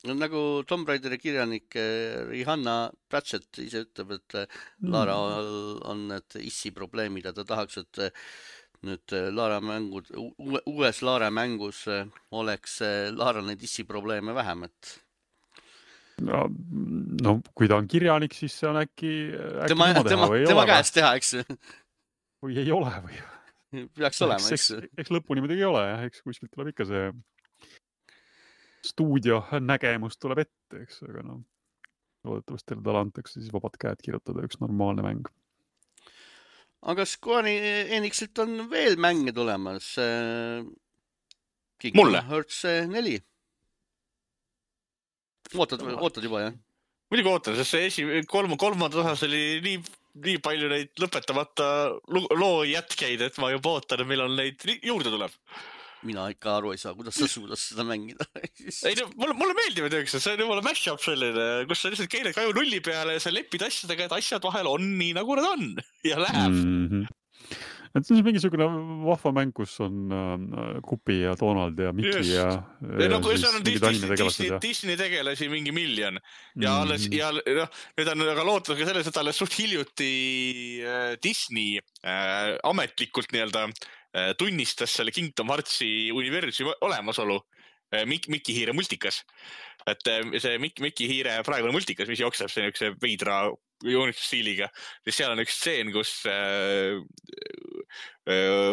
No, nagu Tomb Raideri kirjanik Rihanna Pratchett ise ütleb, et Lara on need issi probleemid ja ta tahaks, et nüüd Lara mängud, uues Lara mängus oleks Lara neid issi probleeme vähem, et no kui ta on kirjanik, siis see on äkki tema käest teha, eks? Või ei ole või? Peaks olema, eks? Eks lõpuni muidugi ei ole, eks kuskilt tuleb ikka see stuudio nägemus tuleb ette, eks, aga no loodetavasti talle antakse siis vabad käed kirjutada üks normaalne mäng. Aga Square Enixilt on veel mänge tulemas. Mulle? Hearts 4. Ootad juba, jah? Muidugi ootan, sest see kolmandas osas oli nii palju neid lõpetamata loo jätkeid, et ma juba ootan, millal neid juurde tuleb. Mina ikka aru ei saa, kuidas sa suudas seda mängida. Ei, no, mulle meeldib, et see on jumala mash-up selline, kus sa lihtsalt keeled kaju nulli peale ja sa lepid asjadega, et asjad vahel on nii, nagu nad on ja läheb. Et see on mingisugune vahva mäng, kus on Kupi ja Donald ja Mickey ja siis Disney tegelasi mingi miljon ja nüüd on aga lootus ka selles, et alles suht hiljuti Disney ametlikult nii-öelda tunnistas selle Kingdom Heartsi universumi olemasolu Mickey Hiire multikas. Et see Mickey Hiire praegune multikas, mis jookseb see üks veidra joonistusstiiliga, siis seal on üks stseen, kus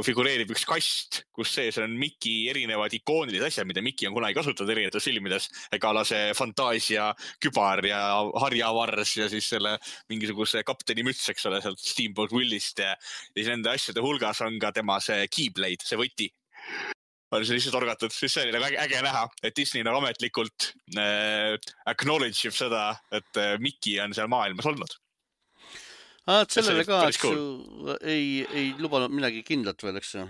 figureerib üks kast, kus sees on Mickey erinevad ikoonilised asjad, mida Mickey on kunagi kasutanud erinevates filmides, ega see fantaasia kübar ja harjavars ja siis selle mingisuguse kapteni müts, eks ole, sealt Steamboat Willist ja siis nende asjade hulgas on ka tema see keyblade, see võti. On see lihtsalt orgatud, siis see oli nagu äge näha, et Disney nagu ametlikult acknowledge seda, et Mickey on seal maailmas olnud. Sellele ka, eks ju, ei lubanud midagi kindlat veel, eks ju?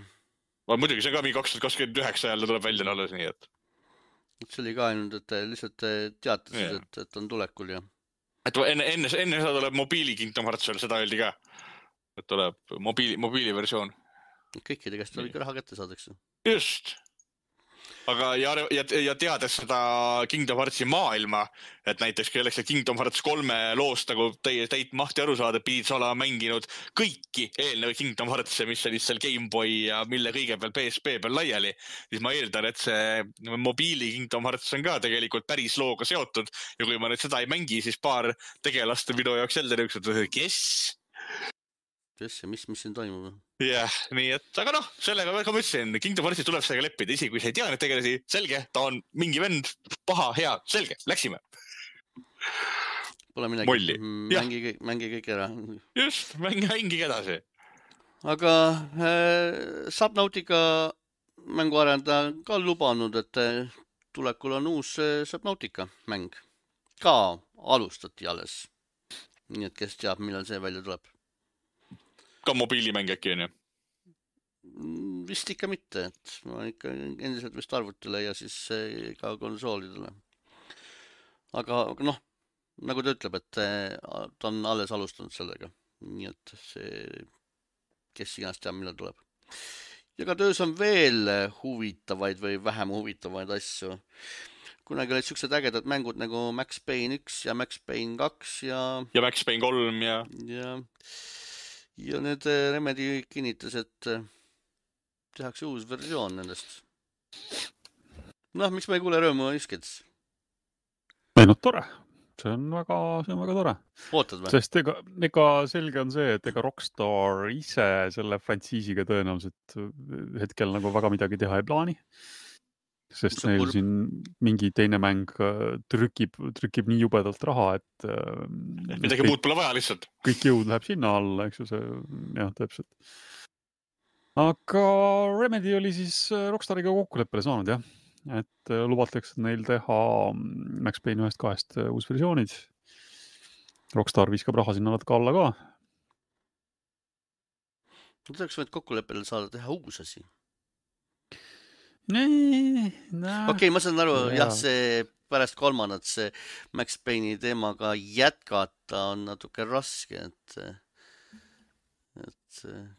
Muidugi, see on ka mingi 2029 jälle tuleb välja alles, nii et... See oli ka ainult, et lihtsalt teatasid, et on tulekul ja... Et enne seda tuleb mobiili Kingdom Hearts veel, seda öeldi ka. Et tuleb mobiili versioon. Kõikide käest tuleb ikka raha kätte saadaks. Just. Aga ja teades seda Kingdom Heartsi maailma, et näiteks kelleks Kingdom Hearts 3 loost nagu täit mahti aru saada, pidid sa olema mänginud kõiki eelnevaid Kingdom Heartse, mis olid seal Game Boy ja mille kõige peal PSP peal laiali, siis ma eeldan, et see mobiili Kingdom Hearts on ka tegelikult päris looga seotud ja kui ma nüüd seda ei mängi, siis paar tegelast minu jaoks jälle niisugused, kes ja mis siin toimub? Jah, nii et, aga noh, sellega ma ütlesin, Kingdom Heartsis tuleb sellega leppida, isegi kui sa ei tea neid tegelasi, selge, ta on mingi vend, paha, hea, selge, läksime. Pole midagi, mängi kõik ära. Just, mängige edasi. Aga Subnautica mänguarendaja ka lubanud, et tulekul on uus Subnautica mäng. Ka alustati alles. Nii et kes teab, millal see välja tuleb. Ka mobiilimäng äkki on ju? Vist ikka mitte, et ma ikka endiselt vist arvutile ja siis ka konsoolidele. Aga noh, nagu ta ütleb, et ta on alles alustanud sellega. Nii et see, kes iganes teab, millal tuleb. Ja ka töös on veel huvitavaid või vähem huvitavaid asju. Kunagi olid siuksed ägedad mängud nagu Max Payne 1 ja Max Payne 2 ja Max Payne 3 ja need Remedy kinnitas, et tehakse uus versioon nendest. Noh, miks ma ei kuule rõõmu isked? Ei, no tore. See on väga tore. Ootad või? Sest ega selge on see, et ega Rockstar ise selle frantsiisiga tõenäoliselt hetkel nagu väga midagi teha ei plaani. Sest neil siin mingi teine mäng trükib nii jubedalt raha, et midagi muud pole vaja lihtsalt. Kõik jõud läheb sinna alla, eks ju see, jah, täpselt. Aga Remedy oli siis Rockstariga kokkuleppele saanud, jah. Et lubatakse neil teha Max Payne 1-2 uus versioonid. Rockstar viskab raha sinna natuke alla ka. Tuleks võid kokkuleppele saada teha uus asi. No. Okei, ma saan aru, jah, see pärast kolmandat see Max Payne'i teemaga jätkata on natuke raske, et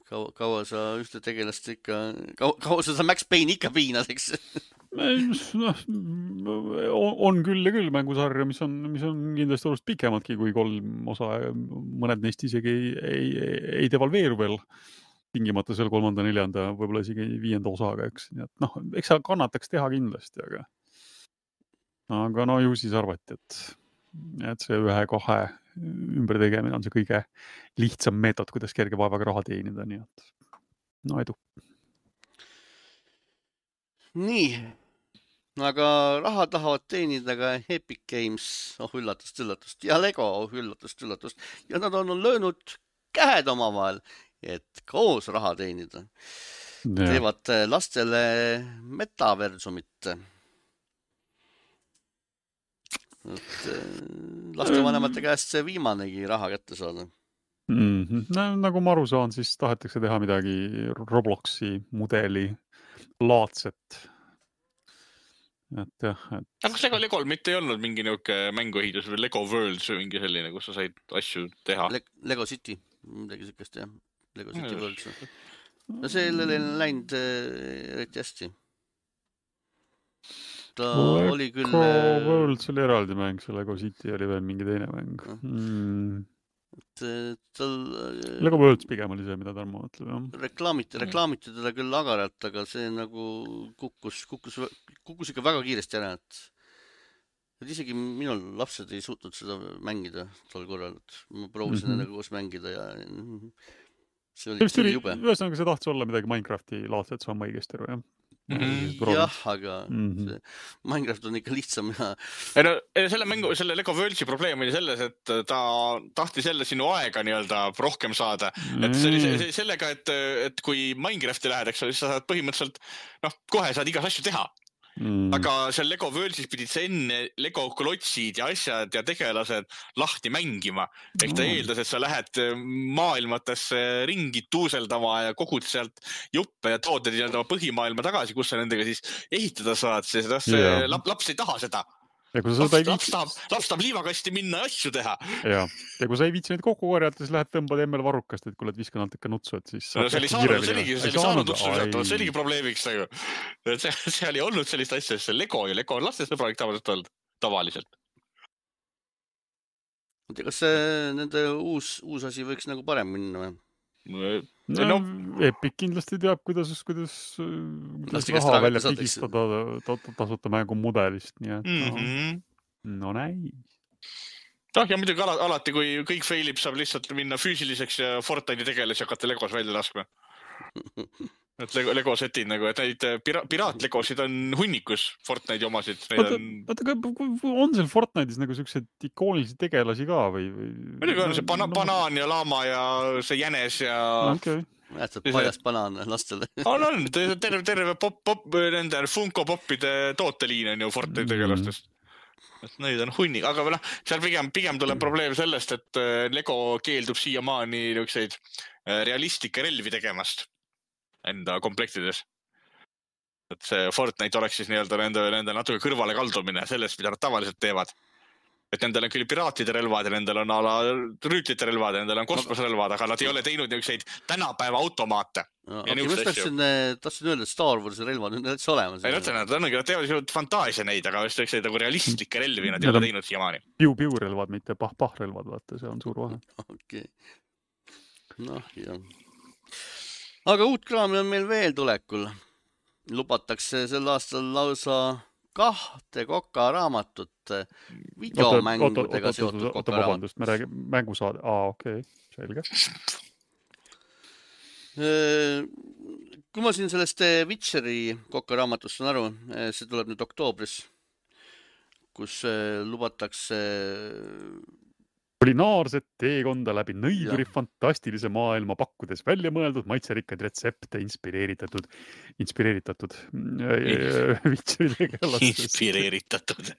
kaua sa ühte tegelast ikka, kaua sa Max Payne'i ikka piinad, eks? On küll ja küll mängusarja, mis on kindlasti oluliselt pikemadki kui 3 osa. Mõned neist isegi ei devalveeru veel tingimata seal 3., 4., võib-olla isegi 5. osaga, eks. Nii et eks sa kannataks teha kindlasti, aga ju siis arvati, et see 1-2 ümber tegemine on see kõige lihtsam meetod, kuidas kerge vaevaga raha teenida, nii et edu. Nii, aga raha tahavad teenida ka Epic Games, üllatust, ja Lego, üllatust, ja nad on löönud käed omavahel, et koos raha teenida. Teevad lastele metaversumit. Lastevanemate käest see viimanegi raha kätte saada. Nagu ma aru saan, siis tahetakse teha midagi Robloxi mudeli laadset. Aga kas Legol mitte ei olnud mingi niuke mänguehitus või Lego Worlds või mingi selline, kus sa said asju teha? Lego City, midagi sükest, jah. Lego City Worlds. No sellele on läinud eriti hästi. Ta oli küll... Lego Worlds oli eraldi mäng, see Lego City oli veel mingi teine mäng. Lego Worlds pigem oli see, mida Tarmo mõtleb. Reklaamiti teda küll agaralt, aga see nagu kukkus ikka väga kiiresti ära, et isegi minul lapsed ei suutnud seda mängida tol korral, et ma proovisin endaga koos mängida ja see oli jube. Ühesõnaga see tahtis olla midagi Minecrafti laadset, see on õigesti aru, jah? Jah, aga Minecraft on ikka lihtsam ja... Selle Lego Worldsi probleem oli selles, et ta tahtis jälle sinu aega rohkem saada. Et see oli sellega, et kui Minecrafti lähed, eks siis sa saad põhimõtteliselt, kohe saad igas asju teha. Aga seal Lego Worldsis pidid sa enne Lego klotsid ja asjad ja tegelased lahti mängima. Ehk ta eeldas, et sa lähed maailmatesse ringi tuuseldama ja kogud sealt juppe ja tood põhimaailma tagasi, kus sa nendega siis ehitada saad, sest laps ei taha seda. Laps tahab liivakasti minna ja asju teha. Ja kui sa ei viitsi neid kokku korjata, siis lähed tõmbad emmel varrukast, et kui oled viskanud ikka nutsu, et siis... see oli saanud nutsu sealt, see oligi probleemiks. See oli olnud sellist asja, see Lego on lastesõbralik tavaliselt. Kas nende uus asi võiks nagu parem minna või? Epic kindlasti teab, kuidas raha välja pigistada tasuta mängu mudelist, nii et näis. Ja muidugi alati, kui kõik failib, saab lihtsalt minna füüsiliseks ja Fortnite'i tegeles ja hakata Legos välja laskma. Et Lego setid et neid piraatlegosid on hunnikus, Fortnite'i omasid. On seal Fortnite'is nagu sellised ikoonilised tegelasi ka või? Muidugi on see banaan ja laama ja see jänes ja... Jätsad paljast banaan lastele. On, terve nende Funko Popide tooteliin on ju Fortnite'i tegelastest. Neid on hunnik, aga seal pigem tuleb probleem sellest, et Lego keeldub siiamaani realistlikke relvi tegemast enda komplektides. Et see Fortnite oleks siis nende natuke kõrvale kaldumine sellest, mida nad tavaliselt teevad. Et nendel on küll piraatide relvad ja nendel on rüütlite relvad ja nendel on kosmosrelvad, aga nad ei ole teinud niisuguseid tänapäeva automaate. Tahtsin öelda, et Star Warsi relvad on üldse olemas. Nad teevad fantaasia neid, aga just nagu realistlikke relvi nad ei ole teinud siiamaani. Piu-relvad, mitte pah-relvad, vaata, see on suur vahe. Okei. Jah. Aga uut kraami on meil veel tulekul. Lubatakse sel aastal lausa 2 Koka raamatut videomängudega seotud Koka raamatut. Vabandust, me räägime mängusaade. Okei, selge. Kui ma siin sellest Witcheri Koka raamatust saan aru, see tuleb nüüd oktoobris, kus lubatakse kulinaarset teekonda läbi nõiduri fantastilise maailma pakkudes välja mõeldud maitserikkaid retsepte inspireeritatud Witcheri tegelastest. Inspireeritatud.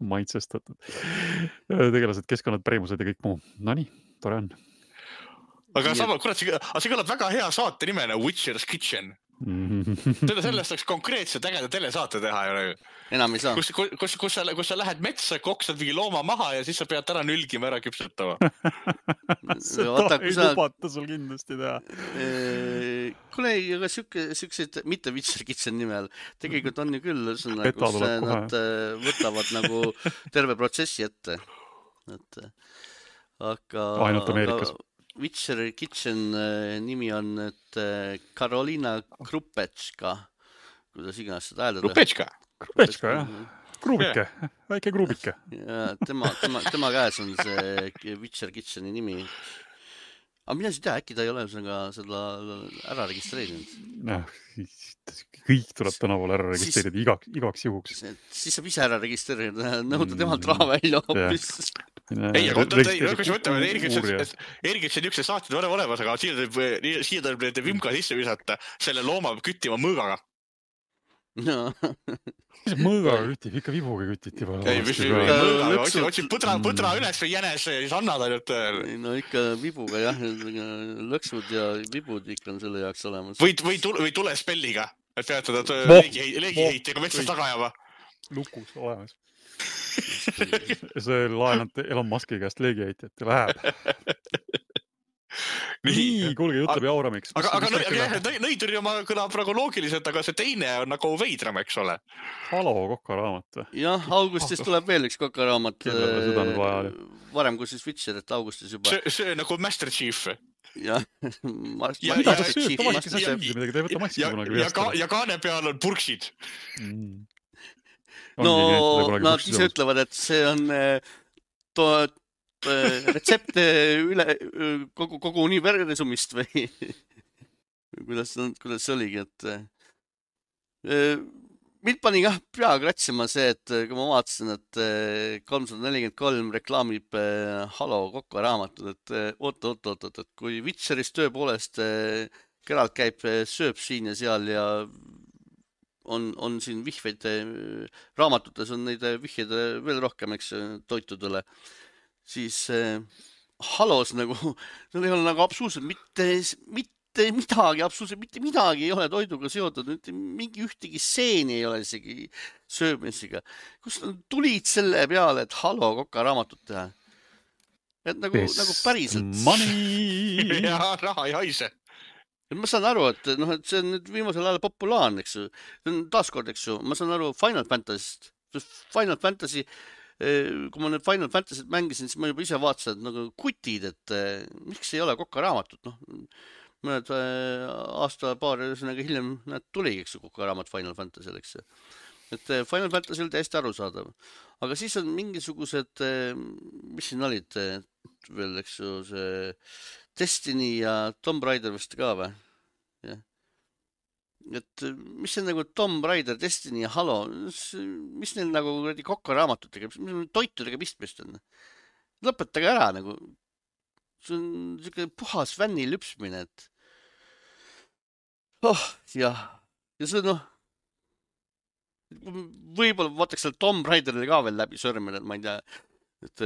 Maitsestatud. Tegelased, keskkonnad, pärimused ja kõik muu. Nonii, tore on. Aga see kõlab väga hea saate nimena Witcher's Kitchen. Sellest oleks konkreetselt ägeda telesaate teha ju. Enam ei saa. Kus sa lähed metsa, koksad mingi looma maha ja siis sa pead ära nülgima, ära küpsetama. Seda ei lubata sul kindlasti teha. Kuule, aga siukseid, mitte Witcher Kitchen nimel, tegelikult on ju küll, kus nad võtavad nagu terve protsessi ette. Aga ainult Ameerikas. Witcher Kitchen nimi on Karolina Krupetška, kuidas iganes seda hääldada. Krupetška, jah. Kruubike, väike kruubike. Ja tema käes on see Witcher Kitcheni nimi. Aga mina ei tea, äkki ta ei ole seda ära registreerinud. Kõik tuleb tänaval ära registreerida igaks juhuks. Siis saab ise ära registreerida, nõuda temalt raha välja hoopis. Ei, aga kui sa mõtleme, Ergits on niisugused saated olemas, aga siia tuleb need vimka sisse visata, selle looma küttima mõõgaga. Mis mõõgaga kütib? Ikka vibuga kütiti. Otsid põdra üles või jänes, siis annad ainult. No ikka vibuga, jah. Lõksud ja vibud ikka on selle jaoks olemas. Või tulespelliga, et peatada leegiheitiga metsast taga ajama. Lukus olemas. See laenab Elon Muski käest leegiheitet ja läheb. Nii, kuulge, jutleb Jauramiks. Aga nõiduri oma kõlab praegu loogiliselt, aga see teine on nagu veidram, eks ole. Halo kokaraamat. Jah, augustis tuleb veel üks kokaraamat. Varem kui siis Witcher, et augustis juba. See nagu Master Chief. Jah. Mida ta sööb, ta vaikis asja midagi, ta ei võta massi kunagi veest. Ja kaane peal on purksid. No, nad ise ütlevad, et see on retsepte üle kogu universumist või kuidas see oligi, et mind pani jah pea kratsima see, et kui ma vaatasin, et 343 reklaamib Halo Kokka raamatut, et oot, et kui Witcheris tõepoolest Geralt käib, sööb siin ja seal ja on siin vihveid, raamatutes on neid vihjeid veel rohkem, eks, toitudele, siis Halos nagu, seal ei ole nagu absoluutselt mitte midagi ei ole toiduga seotud, mingi ühtegi seeni ei ole isegi söömisega. Kust tulid selle peale, et Halo Kokka raamatut teha? Et nagu päriselt. Money! Ja raha ei haise. Ma saan aru, et see on nüüd viimasel ajal populaarne, eks ju. See on taaskord, eks ju. Ma saan aru Final Fantasy'st. Final Fantasy, kui ma nüüd Final Fantasy't mängisin, siis ma juba ise vaatasin, et nagu kutid, et miks ei ole Kokka raamatut. Mõned aasta-paar hiljem tuligi, eks ju, Kokka raamat Final Fantasy'l, eks ju. Et Final Fantasy oli täiesti arusaadav. Aga siis on mingisugused, mis siin olid veel, eks ju, see Destiny ja Tomb Raider vist ka või? Ja. Et mis see nagu Tomb Raider, Destiny ja Halo, mis neil nagu Kokka raamatutega, mis toitudega pistmist on? Lõpetage ära nagu. See on siuke puhas fänni lüpsmine, et jah. Ja see võib-olla vaataks seal Tomb Raiderile ka veel läbi sõrmele, et ma ei tea, et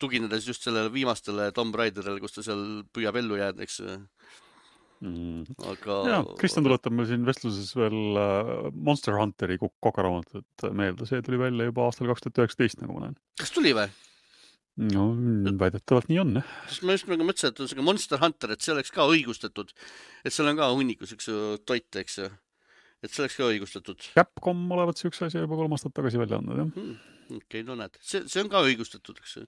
tuginedes just sellele viimastele Tomb Raiderile, kus ta seal püüab ellu jääda, eks. Aga... Ja, Kristjan tuletab meil siin vestluses veel Monster Hunteri kokaraamatut meelde. See tuli välja juba aastal 2019, nagu ma näen. Kas tuli või? No, väidetavalt nii on. Sest ma just nagu mõtlesin, et on see Monster Hunter, et see oleks ka õigustatud. Et seal on ka hunnikus üks toit, eks. Et see oleks ka õigustatud. Capcom olevat see üks asja juba 3 aastat tagasi välja andnud, jah. Okei, no näed. See on ka õigustatud, eks.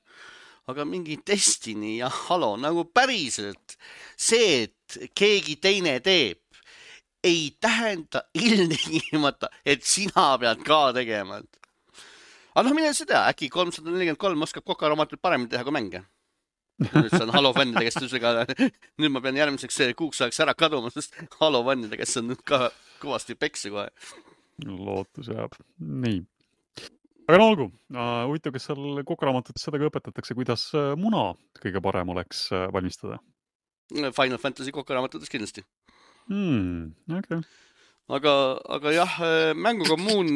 Aga mingi Destiny ja Halo, nagu päriselt see, et keegi teine teeb, ei tähenda ilmtingimata, et sina pead ka tegema. Aga mine seda, äkki 343 oskab Kokka raamatut paremini teha kui mänge. Nüüd see on Halo fännide kestusega. Nüüd ma pean järgmiseks kuuks ajaks ära kaduma, sest Halo fännide kes on nüüd ka kõvasti peksi kohe. Lootus jääb. Nii. Aga no olgu, huvitav, kas seal kokaraamatutes seda ka õpetatakse, kuidas muna kõige parem oleks valmistada? Final Fantasy kokaraamatutes kindlasti. Okay. Aga jah, mängukommuun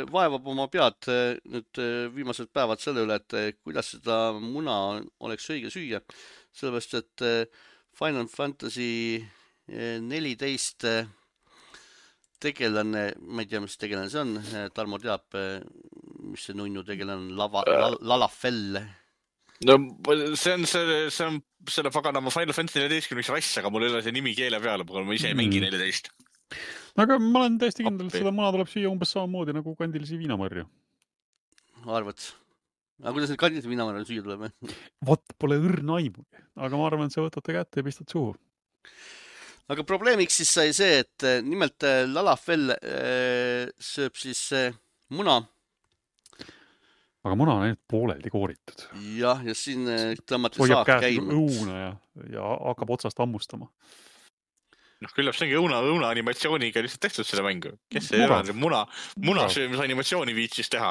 vaevab oma pead nüüd viimased päevad selle üle, et kuidas seda muna oleks õige süüa. Sellepärast, et Final Fantasy 14 tegelane, ma ei tea, mis tegelane see on, Tarmo teab, mis see nunnu tegelane on, Lalafell. No see on selle paganama Final Fantasy 14 rass, aga mul ei ole see nimi keele peale, ma ise ei mängi 14. Aga ma olen täiesti kindel, et seda muna tuleb süüa umbes samamoodi nagu kandilisi viinamarju. Arvad? Aga kuidas need kandilisi viinamarju süüa tuleb? Vot, pole õrna aimugi, aga ma arvan, et sa võtate kätte ja pistad suhu. Aga probleemiks siis sai see, et nimelt Lalafell sööb siis muna. Aga muna on ainult pooleldi kooritud. Jah, ja siin tõmmati saak käima. Õuna ja hakkab otsast hammustama. Küllap see ongi õuna animatsiooniga lihtsalt tehtud selle mängu. Kes see muna söömise animatsiooni viitsis teha?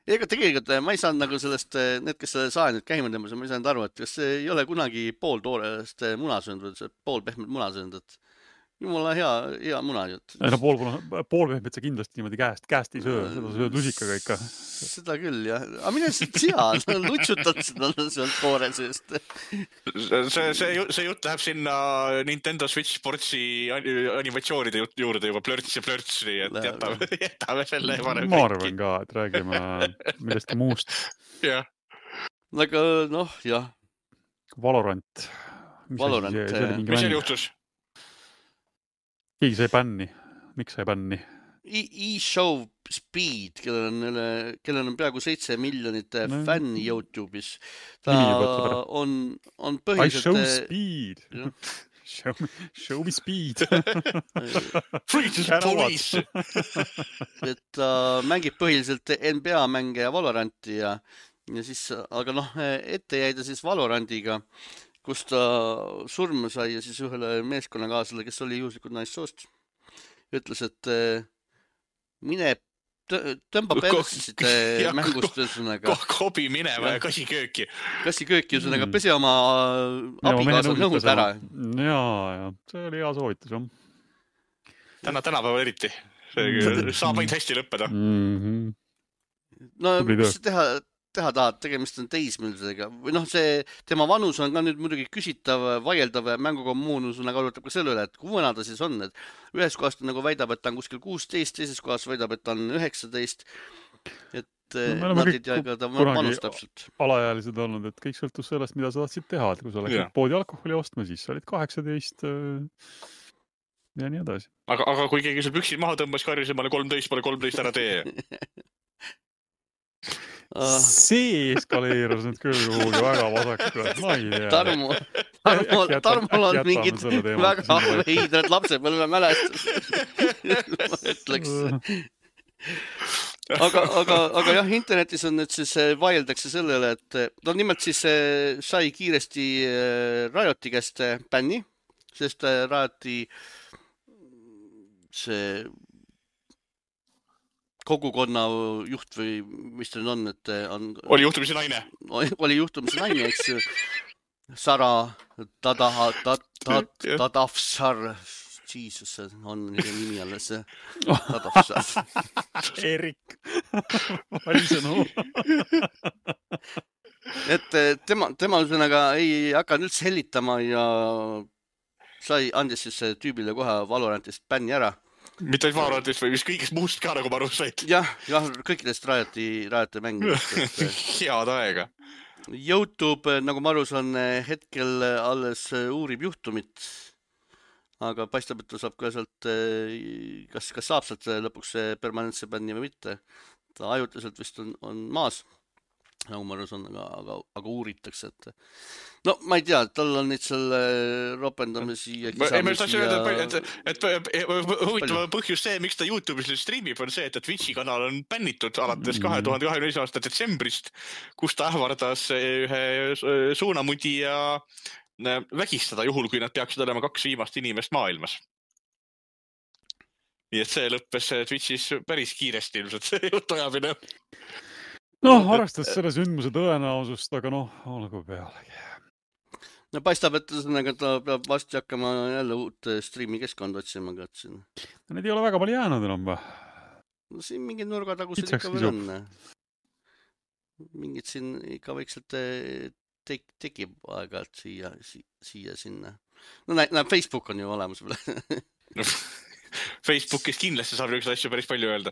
Ega tegelikult ma ei saanud nagu sellest, need, kes selle saa nüüd käima tõmbas, ma ei saanud aru, et kas see ei ole kunagi pool toorest muna söönud või pool pehmet muna söönud, et jumala hea muna jutt. Ei no pool pehmet sa kindlasti niimoodi käest ei söö, seda sööd lusikaga ikka. Seda küll, jah. Aga mine sea, lutsutad seda sealt koore seest. See jutt läheb sinna Nintendo Switch Sportsi animatsioonide juurde juba plörts ja plörts, nii et jätame selle varem. Ma arvan ka, et räägime millestki muust. Jah. Aga jah. Valorant. Mis seal juhtus? Keegi sai bänni. Miks sai bänni? eShow Speed, kellel on peaaegu 7 miljonit fänni YouTube'is. Ta on põhiliselt... I show speed. Show me speed. Free to the police. Et ta mängib põhiliselt NBA mänge ja Valoranti ja siis, aga ette jäi ta siis Valorantiga, kus ta surma sai ja siis ühele meeskonnakaasele, kes oli juhuslikult naissoost, ütles, et mine tõmba persid mängust ühesõnaga. Kobi minema ja kasikööki. Kasikööki ühesõnaga pesi oma abikaasa nõud ära. Ja, see oli hea soovitus. Tänapäeval eriti. Saab ainult hästi lõppeda. No, mis teha tahad, tegemist on teismelisega. Või see tema vanus on ka nüüd muidugi küsitav, vaieldav mängukommuunus arutab ka selle üle, et kui vana ta siis on. Et ühes kohast nagu väidab, et ta on kuskil 16, teises kohas väidab, et ta on 19. Et nad ei tea ka ta vanus täpselt. Alaealised olnud, et kõik sõltus sellest, mida sa tahtsid teha. Et kui sa läksid poodi alkoholi ostma, siis sa olid 18 ja nii edasi. Aga kui keegi sul püksid maha tõmbas karjus ja ma olen 13 ära tee. See eskaleerus nüüd küll kuhugi väga vasakule. Ma ei tea. Tarmol on mingid väga veidrad lapsepõlve mälestused. Ma ütleks. Aga jah, internetis on nüüd siis vaieldakse sellele, et nimelt siis sai kiiresti Rioti käest bänni, sest Rioti see kogukonna juht või mis ta on, et oli juhtumisi naine. Oli juhtumisi naine, eks. Sara Tadavsar. Jesus, on nimi alles. Tadavsar. Erik. Valisõnu. Et tema üsõnaga ei hakanud üldse hellitama ja andis siis tüübile kohe Valorantist bänni ära. Mitte ainult Valorantist või mis kõigest muust ka, nagu ma aru said. Jah, kõikidest Rioti mängudest. Head aega. YouTube, nagu ma aru saan, hetkel alles uurib juhtumit, aga paistab, et ta saab ka sealt, kas saab sealt lõpuks permanentse bänni või mitte. Ta ajutiselt vist on maas, nagu ma aru saan, aga uuritakse, et no ma ei tea, tal on neid selle ropendamisi ja kisamisi huvitav põhjus see, miks ta YouTube'is streamib, on see, et Twitchi kanal on bännitud alates 2021. aasta detsembrist, kus ta ähvardas ühe suunamudi ja vägistada juhul, kui nad peaksid olema 2 viimast inimest maailmas. Nii et see lõppes Twitchis päris kiiresti ilmselt see jutuajamine. Arvestades selle sündmuse tõenäosust, aga olgu pealegi. No paistab, et ta peab vasti hakkama jälle uut streami keskkond otsima. Need ei ole väga palju jäänud enam või? No siin mingid nurgatagused ikka veel on. Mingid siin ikka vaikselt tekib aeg-ajalt siia sinna. No näeb, Facebook on ju olemas veel. Facebookis kindlasti saab niisuguseid asju päris palju öelda.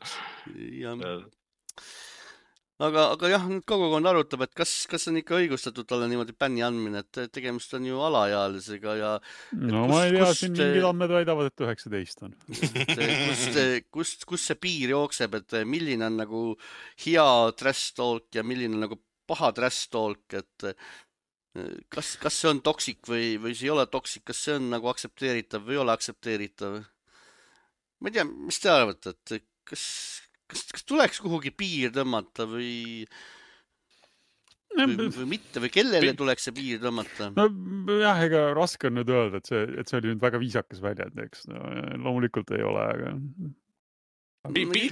Aga jah, nüüd kogukond arutab, et kas on ikka õigustatud talle niimoodi bänni andmine, et tegemist on ju alaealisega ja no ma ei tea, siin mingid andmed väidavad, et 19 on. Kust see piir jookseb, et milline on nagu hea trash talk ja milline on nagu paha trash talk, et kas see on toksik või see ei ole toksik, kas see on nagu aktsepteeritav või ei ole aktsepteeritav? Ma ei tea, mis te arvate, et kas tuleks kuhugi piir tõmmata või mitte või kellele tuleks see piir tõmmata? No jah, ega raske on nüüd öelda, et see oli nüüd väga viisakas väljend, eks. No, loomulikult ei ole, aga... Piiri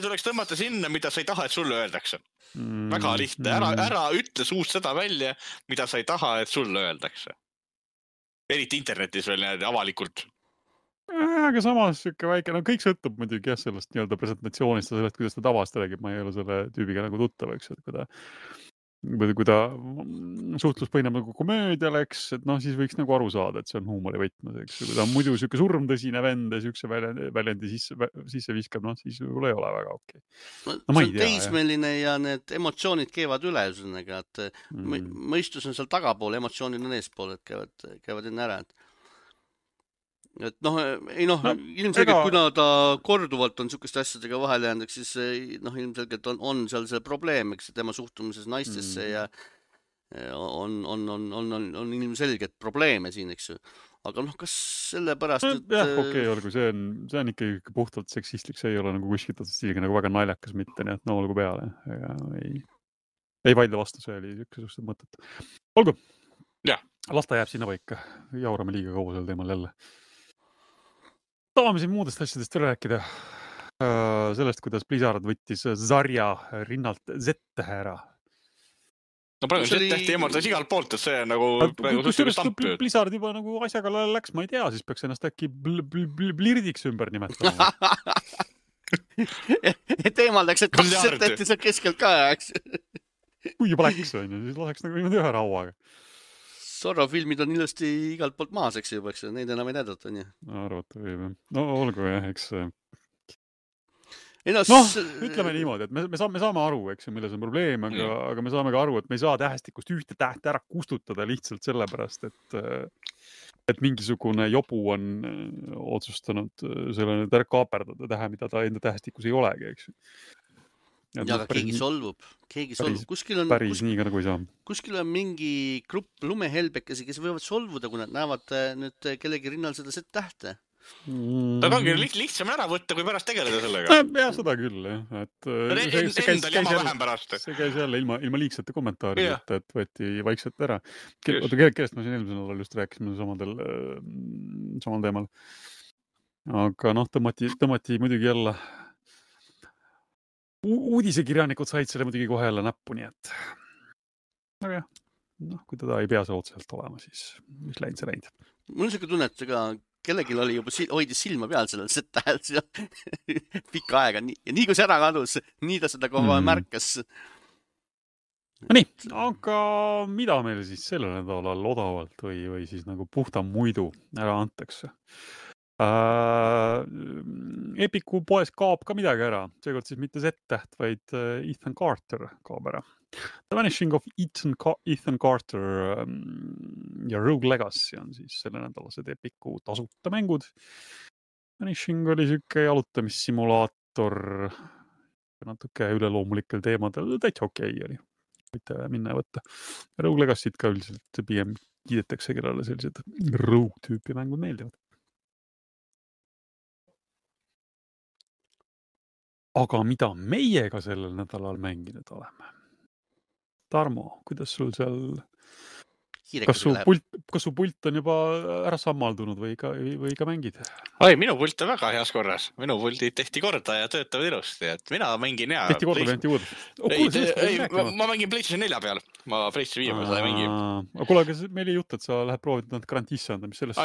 tuleks tõmmata sinna, mida sa ei taha, et sulle öeldakse. Väga lihtne. Ära ütle suust seda välja, mida sa ei taha, et sulle öeldakse. Eriti internetis veel avalikult. Aga samas siuke väike, no kõik sõltub muidugi jah sellest nii-öelda presentatsioonist ja sellest, kuidas ta tavast räägib. Ma ei ole selle tüübiga nagu tuttav, eks, et kui ta suhtlus põhineb nagu komöödial, eks, et noh, siis võiks nagu aru saada, et see on huumori võtmes, eks. Kui ta on muidu siuke surmtõsine vend ja siukse väljendi sisse viskab, noh, siis võib-olla ei ole väga okei. No ma ei tea. See on teismeline ja need emotsioonid keevad üle, üsõnaga, et mõistus on seal tagapool, emotsioonid on eespool, et käivad enne ära, et noh, ilmselgelt kuna ta korduvalt on sukeste asjadega vahel jäänud, siis ilmselgelt on seal see probleem, eks tema suhtumises naistesse ja on ilmselgelt probleeme siin, eks ju. Aga noh, kas sellepärast, et... Jah, okei, olgu, see on ikka puhtalt seksistlik, see ei ole nagu kuskilt stiiliga nagu väga naljakas mitte, nii et no olgu peale. Ei vaidle vastu, see oli üks mõtet. Olgu, lasta jääb sinna paika, jaurame liiga kaua sel teemal jälle. Tahame siin muudest asjadest rääkida. Sellest, kuidas Blizzard võttis Zarja rinnalt Z-tähe ära. No praegu Z-tähti eemaldas igalt poolt, et see on nagu Blizzard juba nagu asja kallale läks, ma ei tea, siis peaks ennast äkki Blirdiks ümber nimetama. Et eemaldaks, et 2 Z-tähti seal keskelt ka, eks? Kui juba läks, on ju, siis laseks nagu niimoodi ühe rauaga. Zorro-filmid on ilusti igalt poolt maas, eks juba, eks neid enam ei näidata, on ju. Arvata võib. No olgu jah, eks. Ütleme niimoodi, et me saame aru, eks, milles on probleem, aga me saame ka aru, et me ei saa tähestikust ühte tähte ära kustutada lihtsalt sellepärast, et mingisugune jobu on otsustanud selle nüüd ära kaaperdada tähe, mida ta enda tähestikus ei olegi, eks. Ja aga keegi solvub. Päris nii ka nagu ei saa. Kuskil on mingi grupp lumehelbekesi, kes võivad solvuda, kui nad näevad nüüd kellegi rinnal seda Z-tähte. Ta ongi lihtsam ära võtta, kui pärast tegeleda sellega. Ja seda küll, jah. Endal jama vähem pärast. See käis jälle ilma liigsete kommentaari, et võeti vaikselt ära. Kellest ma siin eelmisel nädalal just rääkisime samal teemal. Aga noh, tõmmati muidugi jälle uudisekirjanikud said selle muidugi kohe jälle näppu, nii et aga jah, kui teda ei pea see otseselt olema, siis mis läinud see läinud. Mul on siuke tunne, et kellelgi oli juba hoidis silma peal sellel Z-tähelt pikka aega ja nii kui see ära kadus, nii ta seda kohe märkas. Nii, aga mida meil siis sellel nädalal odavalt või siis nagu puhta muidu ära antakse? Epiku poes kaob ka midagi ära, seekord siis mitte Z-täht, vaid Ethan Carter kaob ära. The Vanishing of Ethan Carter ja Rogue Legacy on siis selle nädalased Epiku tasuta mängud. Vanishing oli siuke jalutamissimulaator natuke üleloomulikel teemadel, täitsa okei oli. Võite minna ja võtta. Rogue Legacy't ka üldiselt pigem kiidetakse, kellele sellised Rogue tüüpi mängud meeldivad. Aga mida meiega sellel nädalal mänginud oleme? Tarmo, kuidas sul seal... Kas su pult on juba ära sammaldunud või ka mängid? Minu pult on väga heas korras. Minu pultid tehti korda ja töötavad ilusti. Et mina mängin hea. Tehti korda või tehti uudest? Ma mängin PlayStation 4 peal. Ma PlayStation 5 peal seda ei mängi. Kuule, aga meil ei jutt, et sa lähed proovid nad garantiisse anda, mis sellest?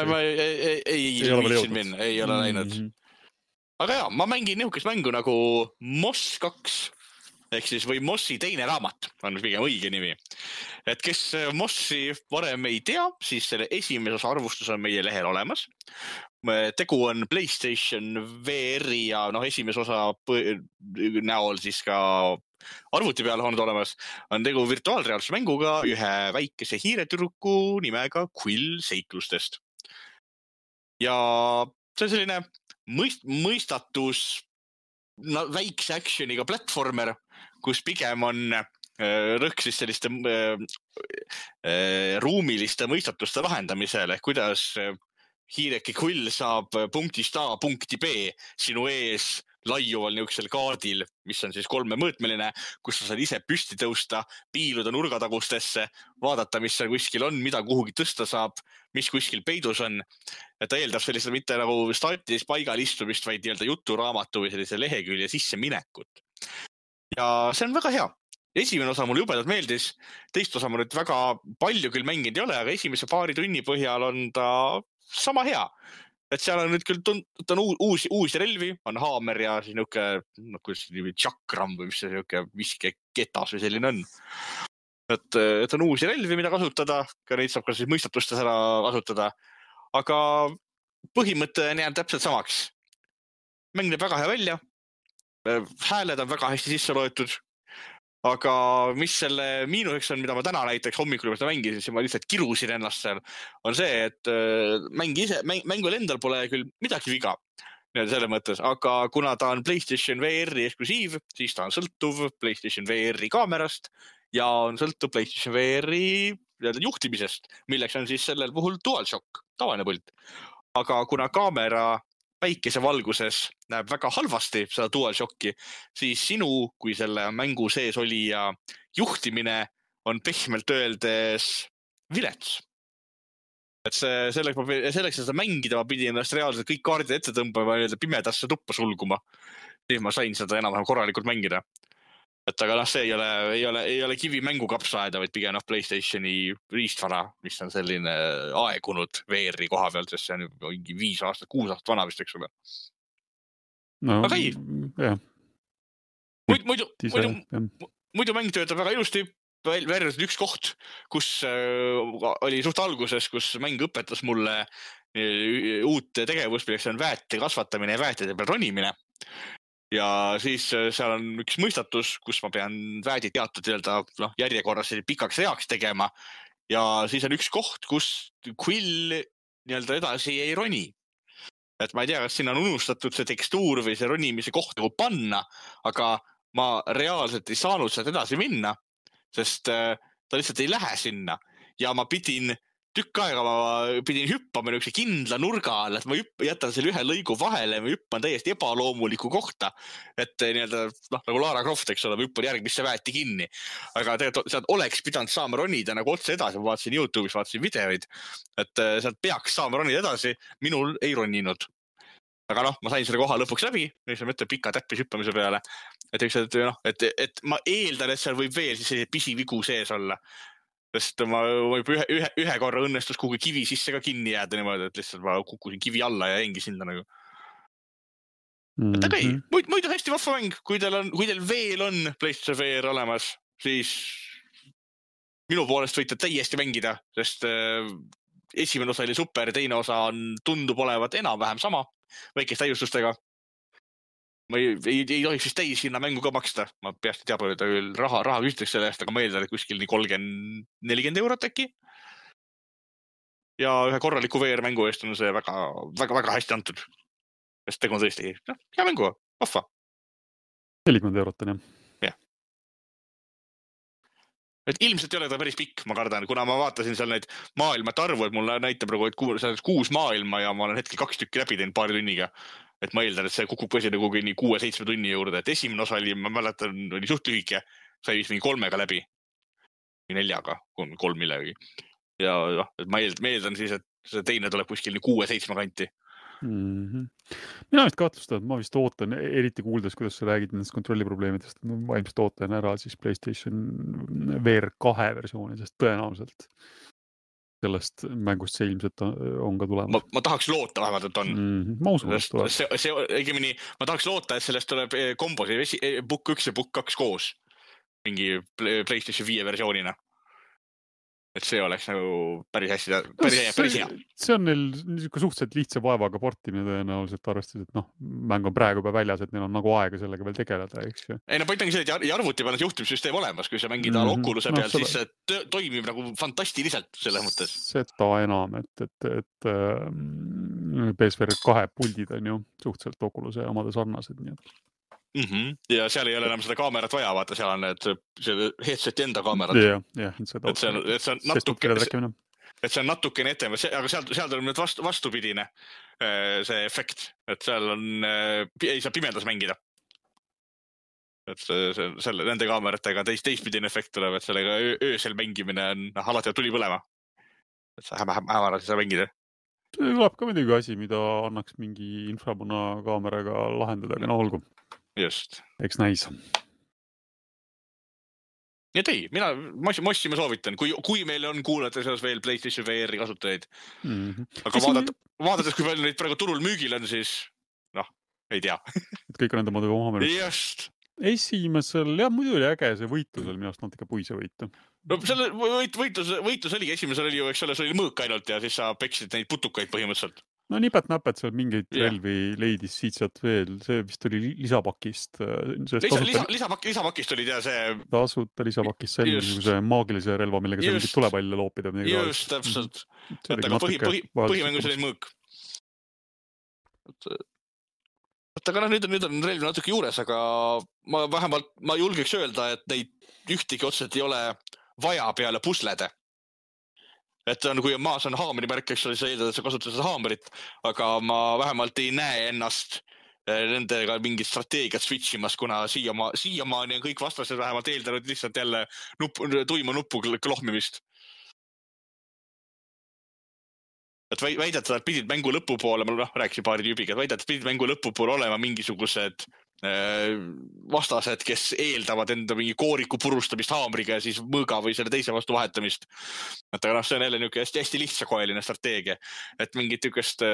Ei ole läinud. Aga jaa, ma mängin nihukest mängu nagu Moss 2, ehk siis või Mossi teine raamat, on pigem õige nimi. Et kes Mossi varem ei tea, siis selle esimeses arvustus on meie lehel olemas. tegu on PlayStation VR-i ja esimese osa näol siis ka arvuti peal olnud olemas, on tegu virtuaalreaalsuse mänguga ühe väikese hiiretüdruku nimega Quill seiklustest. Ja see on selline mõistatus väikse actioniga platformer, kus pigem on rõhk siis selliste ruumiliste mõistatuste lahendamisele, kuidas hiireke Quill saab punktist A punkti B sinu ees laiuval niisugusel kaardil, mis on siis 3-mõõtmeline, kus sa saad ise püsti tõusta, piiluda nurgatagustesse, vaadata, mis seal kuskil on, mida kuhugi tõsta saab, mis kuskil peidus on. Ja ta eeldab sellist mitte nagu startis paigal istumist, vaid juturaamatu või sellise lehekülje sisse minekut. Ja see on väga hea. Esimene osa mulle jubedalt meeldis, teist osa ma nüüd väga palju küll mänginud ei ole, aga esimese paari tunni põhjal on ta sama hea. Et seal on nüüd küll on uusi relvi, on haamer ja siis niisugune tšakram või mis see niisugune viskeketas või selline on. Et on uusi relvi, mida kasutada, ka neid saab ka siis mõistatustes ära kasutada. Aga põhimõte jääb täpselt samaks. Mäng näeb väga hea välja, hääled on väga hästi sisse loetud. Aga mis selle miinuseks on, mida ma täna näiteks hommikul juba mängisin, siis ma lihtsalt kirusin ennast seal, on see, et mängul endal pole küll midagi viga selle mõttes, aga kuna ta on PlayStation VR-i eksklusiiv, siis ta on sõltuv PlayStation VR-i kaamerast ja on sõltuv PlayStation VR-i juhtimisest, milleks on siis sellel puhul DualShock, tavaline pult. Aga kuna kaamera päikesevalguses näeb väga halvasti seda DualShocki, siis sinu, kui selle mängu sees oli ja juhtimine on pehmelt öeldes vilets. Et selleks seda mängida ma pidin ennast reaalselt kõik kaardid ette tõmbama ja pimedasse tuppa sulguma. Siis ma sain seda enam-vähem korralikult mängida. Et aga see ei ole kivi mängu kapsaaeda, vaid pigem PlayStationi riistvara, mis on selline aegunud VR-i koha pealt, sest see on mingi 5 aastat, 6 aastat vana vist, eks ole. No, aga ei. Jah. Muidu mäng töötab väga ilusti, versus üks koht, kus oli suht alguses, kus mäng õpetas mulle uut tegevust, milleks on väete kasvatamine ja väetide peal ronimine. Ja siis seal on üks mõistatus, kus ma pean väedid teatud järjekorras pikaks reaks tegema. Ja siis on üks koht, kus Quill edasi ei roni. Et ma ei tea, kas siin on unustatud see tekstuur või see ronimise koht nagu panna, aga ma reaalselt ei saanud sealt edasi minna, sest ta lihtsalt ei lähe sinna. Ja ma pidin hüppama niisuguse kindla nurga all, et ma jätan selle ühe lõigu vahele ja ma hüppan täiesti ebaloomuliku kohta. Et nagu Lara Croft, eks ole, ma hüppan järgmisse väeti kinni. Aga tegelikult sealt oleks pidanud saama ronida nagu otse edasi, ma vaatasin YouTube'is, vaatasin videoid, et sealt peaks saama ronida edasi, minul ei roninud. Aga ma sain selle koha lõpuks läbi, mis ma mõtlen pika täppis hüppamise peale. Et ma eeldan, et seal võib veel siis pisivigu sees olla. Sest ma juba ühe korra õnnestus kuhugi kivi sisse ka kinni jääda niimoodi, et lihtsalt ma kukkusin kivi alla ja jäingi sinna nagu. Et aga ei, muidu hästi vahva mäng, kui teil veel on PlayStation VR olemas, siis minu poolest võite täiesti mängida, sest esimene osa oli super, teine osa tundub olevat enam-vähem sama, väikest täiustustega. Ma ei tohiks siis täis hinna mängu ka maksta. Ma peast ei tea palju, et raha küsitakse selle eest, aga ma eeldan, et kuskil 30-40 eurot äkki. Ja ühe korraliku VR-mängu eest on see väga hästi antud. Sest tegu on tõesti hea mängu, vahva. 40 eurot on, jah. Jah. Et ilmselt ei ole ta päris pikk, ma kardan, kuna ma vaatasin seal neid maailmate arvu, et mulle näitab praegu, et 6 maailma ja ma olen hetkel 2 tükki läbi teinud paari tunniga. Et ma eeldan, et see kukub põsi nagu 6-7 tunni juurde, et esimene osa oli, ma mäletan, oli suht lühike, sai vist mingi 3 läbi, või 4, 3 millegi. Ja et ma eeldan siis, et see teine tuleb kuskil 6-7 kanti. Mina vist kahtlustan, et ma vist ootan, eriti kuuldes, kuidas sa räägid nendest kontrolliprobleemidest, ma ilmselt ootan ära siis PlayStation VR 2 versiooni, sest tõenäoliselt sellest mängust see ilmselt on ka tulemas. Ma tahaks loota vähemalt, et on. Ma usun, et tuleb. Ma tahaks loota, et sellest tuleb kombosi Book 1 ja Book 2 koos mingi PlayStation 5 versioonina. et see oleks nagu päris hea. See on neil niisugune suhteliselt lihtsa vaevaga portimine tõenäoliselt arvestades, et mäng on praegu juba väljas, et neil on nagu aega sellega veel tegeleda, eks ju. Ei, point ongi see, et arvuti peal on juhtimissüsteem olemas, kui sa mängid Oculus'e peal, siis see toimib nagu fantastiliselt selles mõttes. Seda enam, et PSVR 2 puldid on ju suhteliselt Oculus'e omade sarnased, nii et ja seal ei ole enam seda kaamerat vaja, vaata, seal on need headseti enda kaamerad. Et see on natukene ette, aga seal tuleb nüüd vastupidine see efekt, et seal on, ei saa pimedas mängida. Et nende kaameratega teistpidine efekt tuleb, et sellega öösel mängimine on alati tuli põlema. Et sa hämarad ei saa mängida. See tuleb ka midagi asi, mida annaks mingi infrapuna kaameraga lahendada, aga olgu. Just. Eks näis. Ja ei, Mossi ma soovitan, kui meil on kuulata selles veel PlayStation VR kasutajaid. Aga vaadates, kui palju neid praegu turul müügil on, siis ei tea. Et kõik on enda modu oma meelest. Just. Esimesel, muidu oli äge see võitlusel, minu arust natuke puise võitu. No selle võitlus oligi, esimesel oli ju, eks ole, see oli mõõk ainult ja siis sa peksid neid putukaid põhimõtteliselt. No nipet-näpet seal mingeid relvi leidis siit veel, see vist oli lisapakist. Lisapakist oli see... Tasuta lisapakist see niisuguse maagilise relva, millega sa mingit tulepalle loopida. Just, täpselt. Aga põhimängus oli mõõk. Aga nüüd on relv natuke juures, aga ma julgeks öelda, et neid ühtegi otseselt ei ole vaja peale puslede. Et on, kui maas on haamri märk, eks ole, sa eeldad, et sa kasutad seda haamrit, aga ma vähemalt ei näe ennast nendega mingit strateegiat switchimas, kuna siiamaani on kõik vastased vähemalt eeldanud lihtsalt jälle tuima nuppu klohmimist. Et väidetavalt pidid mängu lõpupoole, ma rääkisin paari tüübiga, et väidetavalt pidid mängu lõpupoole olema mingisugused vastased, kes eeldavad enda mingi kooriku purustamist haamriga ja siis mõõga või selle teise vastu vahetamist. Et aga see on jälle niisugune hästi lihtsakoeline strateegia. Et mingit niisugust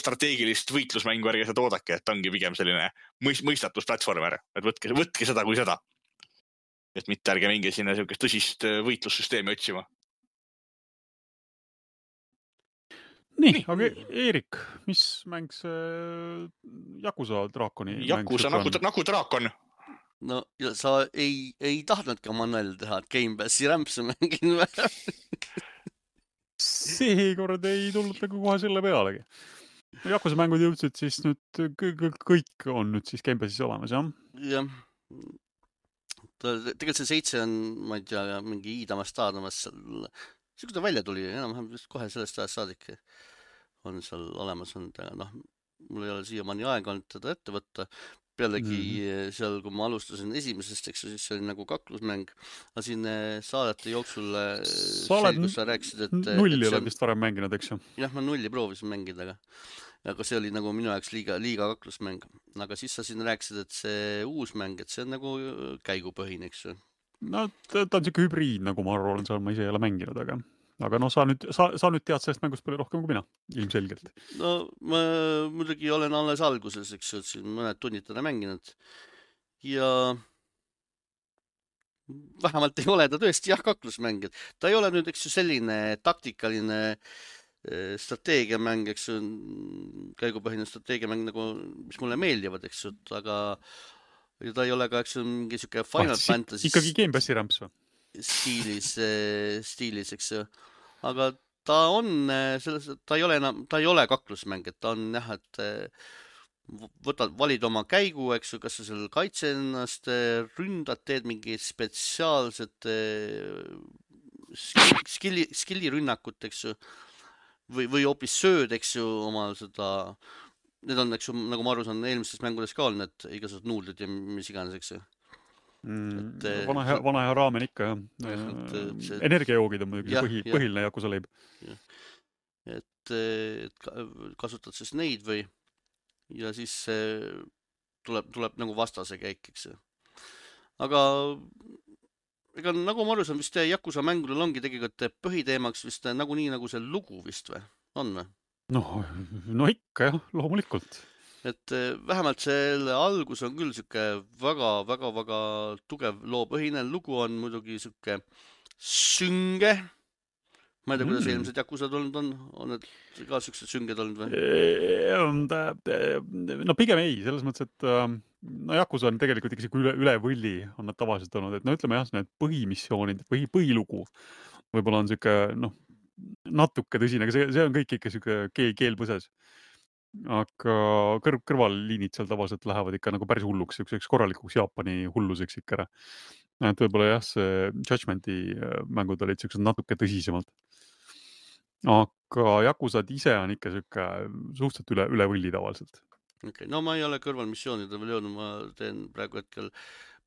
strateegilist võitlusmängu ärge seda oodake, et ongi pigem selline mõistatusplatvormer. Et võtke seda kui seda. Et mitte ärge minge sinna niisugust tõsist võitlussüsteemi otsima. Nii, aga Eerik, mis mäng see Yakuza Draakoni mäng? Yakuza nagu Draakon. No sa ei tahtnudki Manuel teha, et Game Passi rämpse mängin või? Seekord ei tulnud nagu kohe selle pealegi. Yakuza mängud jõudsid siis nüüd, kõik on nüüd siis Game Passis olemas, jah? Jah. Tegelikult see 7 on, ma ei tea, mingi iidamas taadamas seal. See, kui ta välja tuli, enam kohe sellest ajast saadik on seal olemas olnud, aga mul ei ole siiamaani aega olnud teda ette võtta. Pealegi seal, kui ma alustasin esimesest, eks siis see oli nagu kaklusmäng, aga siin saadete jooksul kus sa rääkisid, et... Nulli oled vist varem mänginud, eks ju? Jah, ma nulli proovisin mängida, aga see oli nagu minu jaoks liiga kaklusmäng. Aga siis sa siin rääkisid, et see uus mäng, et see on nagu käigupõhine, eks ju? No ta on siuke hübriid, nagu ma arvan, ma ise ei ole mänginud, aga sa nüüd tead sellest mängust palju rohkem kui mina, ilmselgelt. No ma muidugi olen alles alguses, eks ju, et siin mõned tunnid täna mänginud ja vähemalt ei ole ta tõesti kaklusmäng. Ta ei ole nüüd, eks ju, selline taktikaline strateegiamäng, eks ju, käigupõhine strateegiamäng, nagu, mis mulle meeldivad, eks ju, aga ja ta ei ole ka, eks on mingi siuke Final Fantasy ikkagi Game Passi rämps või? Stiilis, eks ju. Aga ta on selles, ta ei ole kaklusmäng, et ta on jah, et valid oma käigu, eks ju, kas sa seal kaitse ennast, ründad, teed mingi spetsiaalset skillirünnakut, eks ju, või hoopis sööd, eks ju, oma seda... Need on, eks ju, nagu ma aru saan, eelmistes mängudes ka olnud, et igasugused nuudlid ja mis iganes, eks ju. Vana hea raamen ikka, jah. Energiajoogid on muidugi põhiline Yakuza leib. Et kasutad siis neid või ja siis tuleb nagu vastase käik, eks ju. Aga ega nagu ma aru saan, vist Yakuza mängudel ongi tegelikult põhiteemaks vist nagu nii nagu see lugu vist või? On või? No ikka jah, loomulikult. Et vähemalt selle algus on küll siuke väga tugev loopõhine. Lugu on muidugi siuke sünge. Ma ei tea, kuidas eelmised Yakusad olnud on need ka siuksed sünged olnud või? No pigem ei, selles mõttes, et no Yakuza on tegelikult ikka üle võlli on nad tavaliselt olnud, et no ütleme jah, need põhimissioonid, põhilugu võib-olla on siuke, noh, natuke tõsine, aga see on kõik ikka siuke keel põses. Aga kõrvalliinid seal tavaliselt lähevad ikka nagu päris hulluks, siukseks korralikuks Jaapani hulluseks ikka ära. Et võib-olla jah, see Judgmenti mängud olid siuksed natuke tõsisemalt. Aga Yakusad ise on ikka siuke suhteliselt üle võlli tavaliselt. Okay. No ma ei ole kõrvalmissioonide veel jõudnud, ma teen praegu hetkel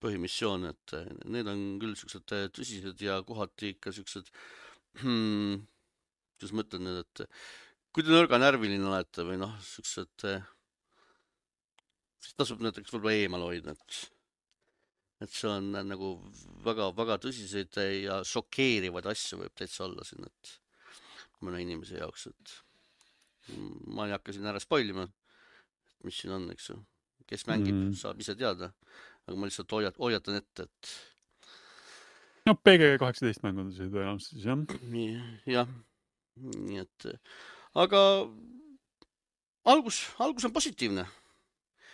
põhimissioone, et need on küll siuksed tõsised ja kohati ikka siuksed, kuidas ma ütlen nüüd, et kui te nõrganärviline olete või noh, siuksed, siis tasub näiteks võib-olla eemal hoida, et see on nagu väga tõsiseid ja šokeerivaid asju võib täitsa olla siin, et mõne inimese jaoks, et ma ei hakka siin ära spoilima, mis siin on, eks ju. Kes mängib, saab ise teada, aga ma lihtsalt hoiatan ette, et no PG-18 mängud tõenäoliselt siis, jah. Jah, nii et aga algus on positiivne.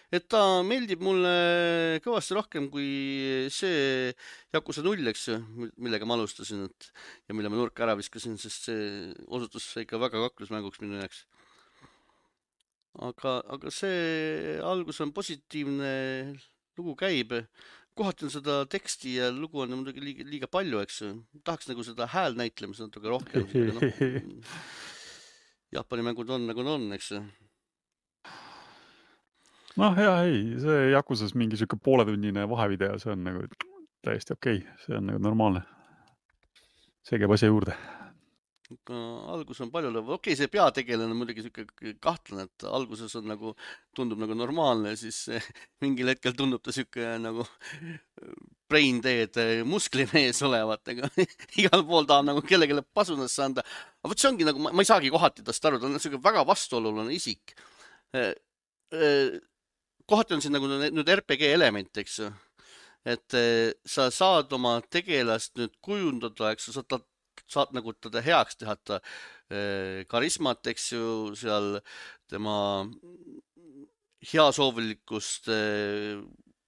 Et ta meeldib mulle kõvasti rohkem kui see Yakuza 0, eks ju, millega ma alustasin, ja mille ma nurka ära viskasin, sest see osutus ikka väga kaklusmänguks minu jaoks. Aga see algus on positiivne, lugu käib. Kohati on seda teksti ja lugu on muidugi liiga palju, eks ju. Tahaks nagu seda hääl näitlemas natuke rohkem. Jaapani mängud on nagu on, eks ju. Noh, ei, see Yakusas mingi siuke pooletunnine vahevideo, see on nagu täiesti okei. See on nagu normaalne. See käib asja juurde. Algus on palju lõva. Okei, see peategelane on muidugi siuke kahtlane, et alguses on nagu, tundub nagu normaalne, siis mingil hetkel tundub ta siuke nagu brain dead musklimees olevat, aga igal pool tahab nagu kellelegi pasunasse anda. Aga võt see ongi nagu, ma ei saagi kohati tast aru, ta on siuke väga vastuoluline isik. Kohati on siin nagu nüüd RPG element, eks ju. Et sa saad oma tegelast nüüd kujundada, eks ju, saad nagu teda heaks teha, karismat, eks ju, seal tema heasoovilikkust,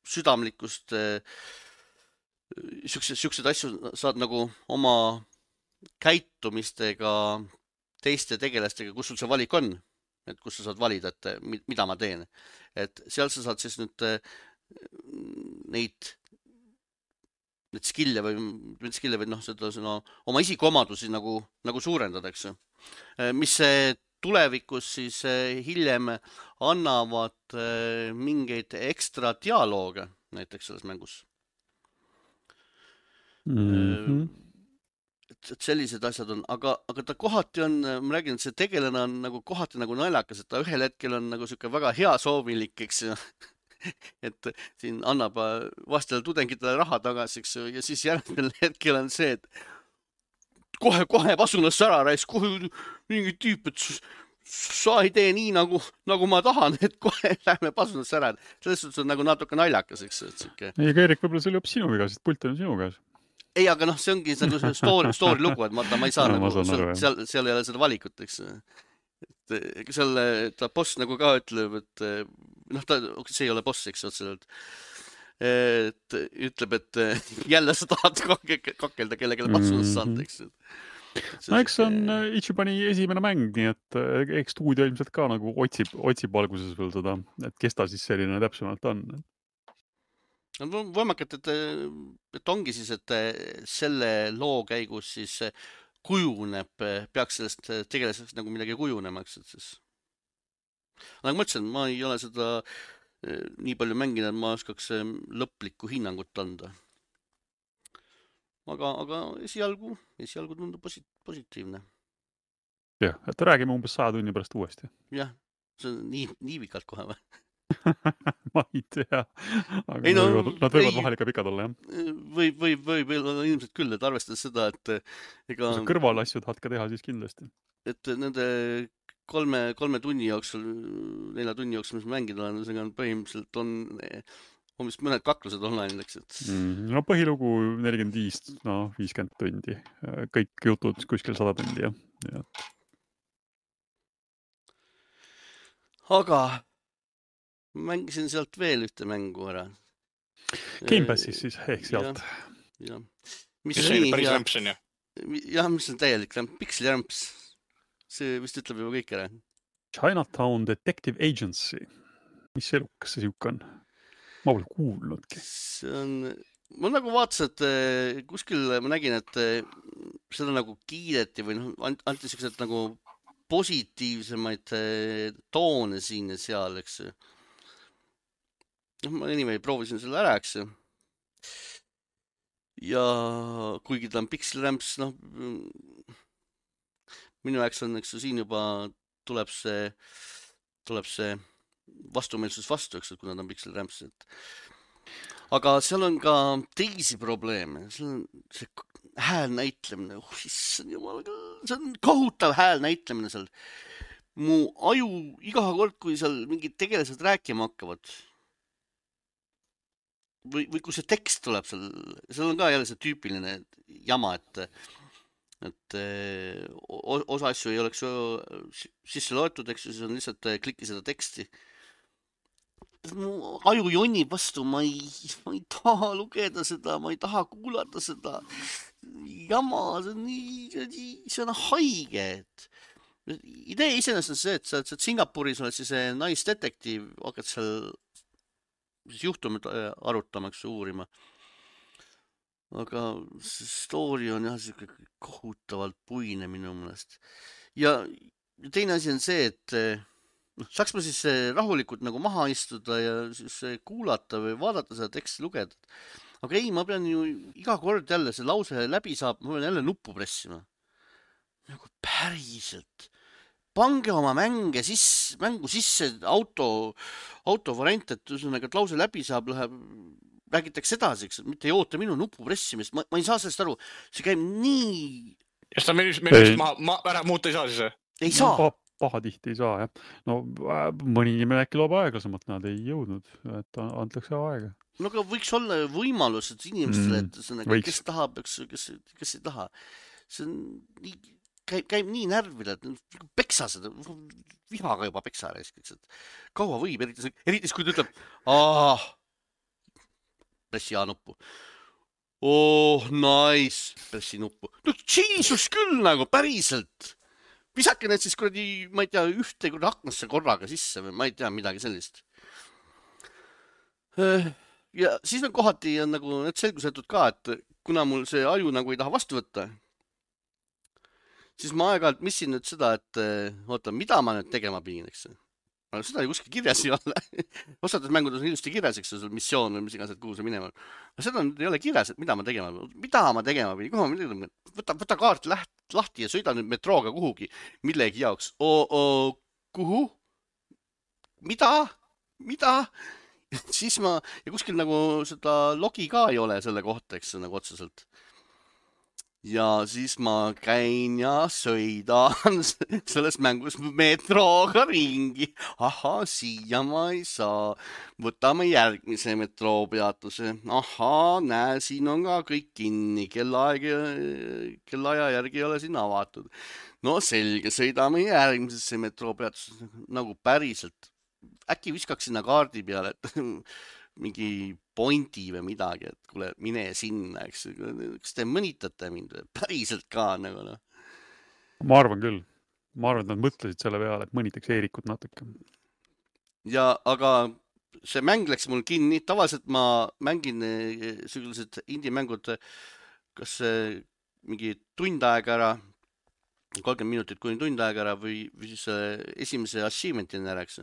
südamlikkust, siukseid asju saad nagu oma käitumistega, teiste tegelastega, kus sul see valik on, et kus sa saad valida, et mida ma teen. Et seal sa saad siis nüüd neid skill'e või noh, seda oma isikuomadusi nagu suurendada, eks ju. Mis tulevikus siis hiljem annavad mingeid ekstra dialooge näiteks selles mängus. Et sellised asjad on, aga ta kohati on, ma räägin, et see tegelane on nagu kohati nagu naljakas, et ta ühel hetkel on nagu siuke väga heasoovilik, eks ju. Et siin annab vastele tudengitele raha tagasi, eks ju, ja siis järgmine hetkel on see, et kohe pasunasse ära rais, kohe mingi tüüp, et sa ei tee nii nagu ma tahan, et kohe lähme pasunasse ära. Selles suhtes on nagu natuke naljakas, eks ju. Ei, aga Erik, võib-olla see oli hoopis sinu viga, sest pult on sinu käes. Ei, aga noh, see ongi nagu story lugu, et ma ei saa nagu, seal ei ole seda valikut, eks. Et seal ta boss nagu ka ütleb, et noh, see ei ole boss, eks otseselt. Et ütleb, et jälle sa tahad kakelda kellelegi patsunast saada, eks. No eks on Ichibani esimene mäng, nii et eks stuudio ilmselt ka nagu otsib alguses veel seda, et kes ta siis selline täpsemalt on. Võimakat, et ongi siis, et selle loo käigus siis kujuneb, peaks sellest tegelaseks nagu midagi kujunemaks, et siis. Nagu ma ütlesin, ma ei ole seda nii palju mänginud, ma oskaks lõplikku hinnangut anda. Aga esialgu tundub positiivne. Jah, et räägime umbes 100 tunni pärast uuesti. Jah, see on nii pikalt kohe või? Ma ei tea, aga nad võivad vahel ikka pikad olla, jah. Võib ilmselt küll, et arvestades seda, et ega kõrvalasju tahad ka teha siis kindlasti. Et nende 3 tunni jooksul, 4 tunni jooksul, mis mängida olen, põhimõtteliselt on vist mõned kaklused online läks, et No põhilugu 45, 50 tundi. Kõik jutud kuskil 100 tundi, jah. aga mängisin sealt veel ühte mängu ära. Gamepassis siis, ehk sealt. Jah. Mis see päris rämps on, jah? Jah, mis on täielik rämps, pikslirämps. See vist ütleb juba kõik ära. Chinatown Detective Agency. Mis elukas see siuke on? Ma pole kuulnudki. See on... Ma nagu vaatasin, et kuskil ma nägin, et seda nagu kiideti või anti sellised nagu positiivsemaid toone siin ja seal, eks. Ma anyway proovisin selle ära, eks. Ja kuigi ta on pikslirämps, minu jaoks on, eks, siin juba tuleb see vastumeelsus vastu, eks, kuna ta on pikslirämps. Aga seal on ka teisi probleeme. Seal on see hääl näitlemine. Issand jumal, see on kohutav hääl näitlemine seal. Mu aju iga kord, kui seal mingid tegelased rääkima hakkavad. Või kui see tekst tuleb seal on ka jälle see tüüpiline jama, et osa asju ei oleks sisse loetud, eks ju, siis on lihtsalt klikki seda teksti. Mu aju jonnib vastu, ma ei taha lugeda seda, ma ei taha kuulata seda jama, see on haige. Idee iseenesest on see, et sa oled Singapuris, oled siis naisdetektiiv, hakkad seal juhtumid arutamaks uurima. Aga see story on jah siuke kohutavalt puine minu mõnest. Ja teine asi on see, et saaks ma siis rahulikult nagu maha istuda ja siis kuulata või vaadata seda teksti lugeda. Aga ei, ma pean ju iga kord jälle see lause läbi saab, ma pean jälle nuppu pressima. Nagu päriselt. Pange oma mängu sisse autovariant, et lause läbi saab, räägitakse edasi, mitte ei oota minu nupu pressimist. Ma ei saa sellest aru. See käib nii... Ja seda me ära muuta ei saa siis? Ei saa. Pahatihti ei saa, jah. No mõni inimene äkki loob aeglasemalt, nad ei jõudnud, et antakse aega. No aga võiks olla võimalus, et inimestele, kes tahab, kes ei taha. See on nii... Käib nii närvile, et peksa seda, vihaga juba peksa raiskaks, et kaua võib, eritis kui ta ütleb, pressi A-nuppu. Oh, nice, pressi nuppu. No Jesus küll nagu, päriselt. Visake need siis kuradi, ma ei tea, ühte aknasse korraga sisse või ma ei tea midagi sellist. Ja siis on kohati on nagu need selgusetud ka, et kuna mul see aju nagu ei taha vastu võtta, siis ma aeg-ajalt missin nüüd seda, et oota, mida ma nüüd tegema pidin, eks. Aga seda ei kuskil kirjas ei ole. Osades mängudes on ilusti kirjas, eks, missioon või mis iganes, et kuhu see minema. Aga seda ei ole kirjas, et mida ma tegema pidin. Kuhu ma midagi? Võta kaart lahti ja sõida nüüd metrooga kuhugi millegi jaoks. Kuhu? Mida? Siis ja kuskil nagu seda logi ka ei ole selle kohta, eks, nagu otseselt. Ja siis ma käin ja sõidan selles mängus metrooga ringi. Aha, siia ma ei saa. Võtame järgmise metroopeatuse. Aha, näe, siin on ka kõik kinni. Kellaaja järgi ei ole siin avatud. No selge, sõidame järgmisesse metroopeatuse. Nagu päriselt. Äkki viskaks sinna kaardi peale, et mingi pointi või midagi, et kuule, mine sinna, eks. Kas te mõnitate mind päriselt ka nagu? Ma arvan küll. Ma arvan, et nad mõtlesid selle peale, et mõnitaks Eerikut natuke. Ja, aga see mäng läks mul kinni. Tavaliselt ma mängin sellised indie-mängud, kas mingi tund aega ära, 30 minutit kuni tund aega ära või siis esimese achievement'ini ära, eks.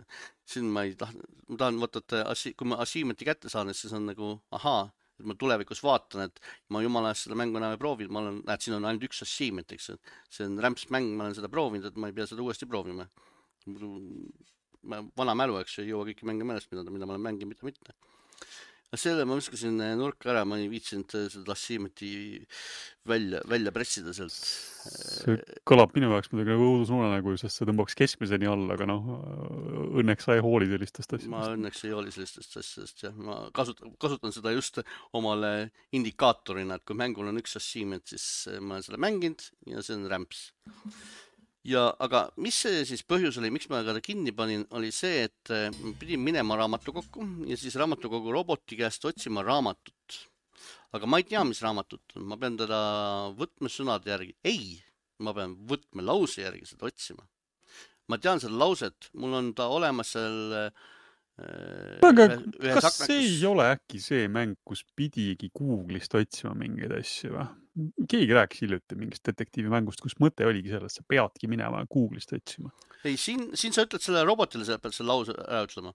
Siin ma tahan võtta, et kui ma achievement'i kätte saan, siis on nagu, et ma tulevikus vaatan, et ma jumala eest seda mängu enam ei proovinud. Ma olen, siin on ainult üks achievement, eks. See on rämps mäng, ma olen seda proovinud, et ma ei pea seda uuesti proovima. Vana mälu, eks, ei jõua kõiki mänge meelest, mida ma olen mänginud, mitte. Selle ma viskasin nurka ära, ma ei viitsinud seda Assiimeti välja pressida sealt. See kõlab minu jaoks midagi nagu õudusunenägu, sest see tõmbaks keskmiseni alla, aga õnneks sa ei hooli sellistest asjadest. Ma õnneks ei hooli sellistest asjadest, jah. Ma kasutan seda just omale indikaatorina, et kui mängul on üks Assiimet, siis ma olen selle mänginud ja see on rämps. Aga mis see siis põhjus oli, miks ma ta kinni panin, oli see, et pidin minema raamatukokku ja siis raamatukogu roboti käest otsima raamatut. Aga ma ei tea, mis raamatut on. Ma pean teda võtmesõnade järgi. Ei, ma pean võtmelause järgi seda otsima. Ma tean seda lauset. Mul on ta olemas seal aga kas see ei ole äkki see mäng, kus pidigi Google'ist otsima mingeid asju või? Keegi rääkis hiljuti mingist detektiivimängust, kus mõte oligi sellest, sa peadki minema Google'ist otsima. Ei, siin sa ütled selle robotile, sa pead selle lause ära ütlema.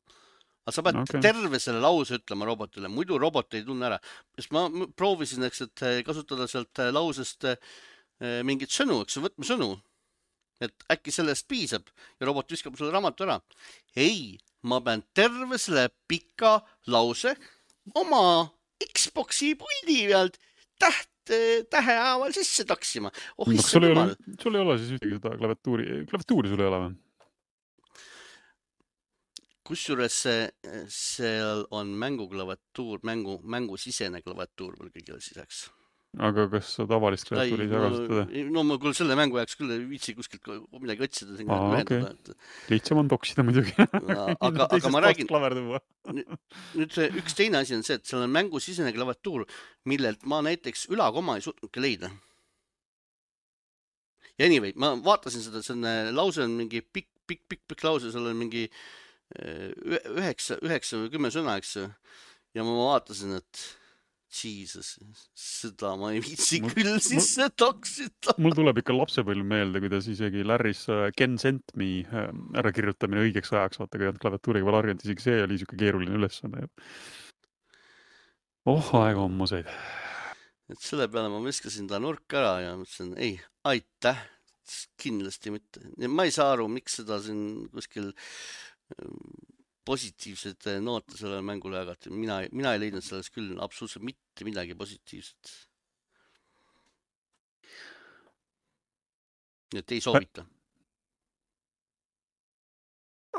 Aga sa pead terve selle lause ütlema robotile, muidu robot ei tunne ära. Sest ma proovisin, et kasutada sealt lausest mingit sõnu, võtme sõnu. Et äkki sellest piisab ja robot viskab selle raamatu ära. Ei, ma pean terve selle pika lause oma Xboxi puldi pealt tähehaaval sisse taksima. Sul ei ole siis ühtegi seda klaviatuuri sul ei ole või? Kusjuures seal on mänguklaviatuur, mängusisene klaviatuur veel kõigile siseks. Aga kas sa tavalist klaviatuuri ei saa kasutada? No ma küll selle mängu jääks küll viitsi kuskilt midagi otsida. Okay. Lihtsam on toksida muidugi. Aga ma räägin, nüüd üks teine asi on see, et seal on mängusisene klaviatuur, millelt ma näiteks ülakoma ei suutnudki leida. Ja anyway, ma vaatasin seda, see on lause on mingi pikk lause, seal on mingi 9 või 10 sõna, eks. Ja ma vaatasin, et Jesus, seda ma ei viitsi küll sisse toksida. Mul tuleb ikka lapsepõlv meelde, kuidas isegi Larry's Ken Sent Me ära kirjutamine õigeks ajaks, vaata, kui on klaviatuuriga veel arginud, isegi see oli siuke keeruline ülesanne. Aega on museid. Et selle peale ma viskasin ta nurk ära ja mõtlesin, ei, aitäh, kindlasti mitte. Ma ei saa aru, miks seda siin kuskil positiivsed noote sellele mängule jagati. Mina ei leidnud selles küll absoluutselt mitte midagi positiivset. Nii et ei soovita.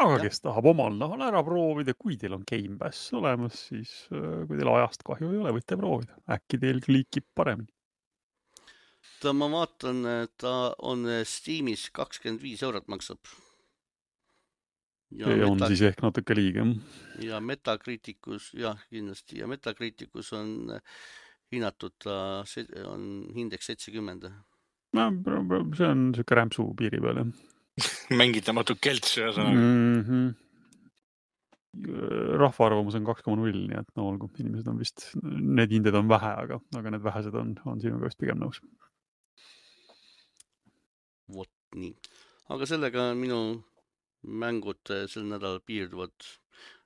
Aga kes tahab omal nahal ära proovida, kui teil on Game Pass olemas, siis kui teil ajast kahju ei ole, võite proovida. Äkki teil klikib paremini. Ma vaatan, ta on Steamis 25 eurot maksab. Ja on siis ehk natuke liiga. Ja Metacriticus, jah, kindlasti. Ja Metacriticus on hinnatud, on indeks 70. No, see on siuke rämpsu piiri peal, jah. Mängitamatu kelts. Rahvaarvamus on 2,0, nii et no olgu, inimesed on vist, need hinded on vähe, aga need vähesed on sinuga vist pigem nõus. Vot nii. Aga sellega minu mängud sel nädalal piirduvad.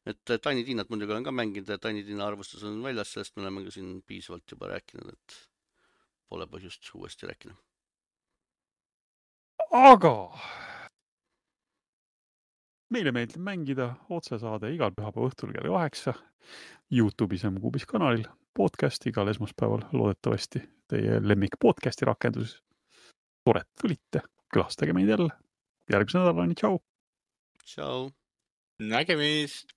Et Tiny Tinat muidugi olen ka mänginud ja Tiny Tina arvustus on väljas, sellest me oleme ka siin piisavalt juba rääkinud, et pole põhjust uuesti rääkida. Aga meile meeldib mängida otsesaade igal pühapäeva õhtul kell 8 YouTube'is ja Mugubis kanalil, podcast igal esmaspäeval loodetavasti teie lemmik podcasti rakenduses. Tore, et tulite, külastage meid jälle. Järgmise nädalani, tšau! Tšau! Nägemist!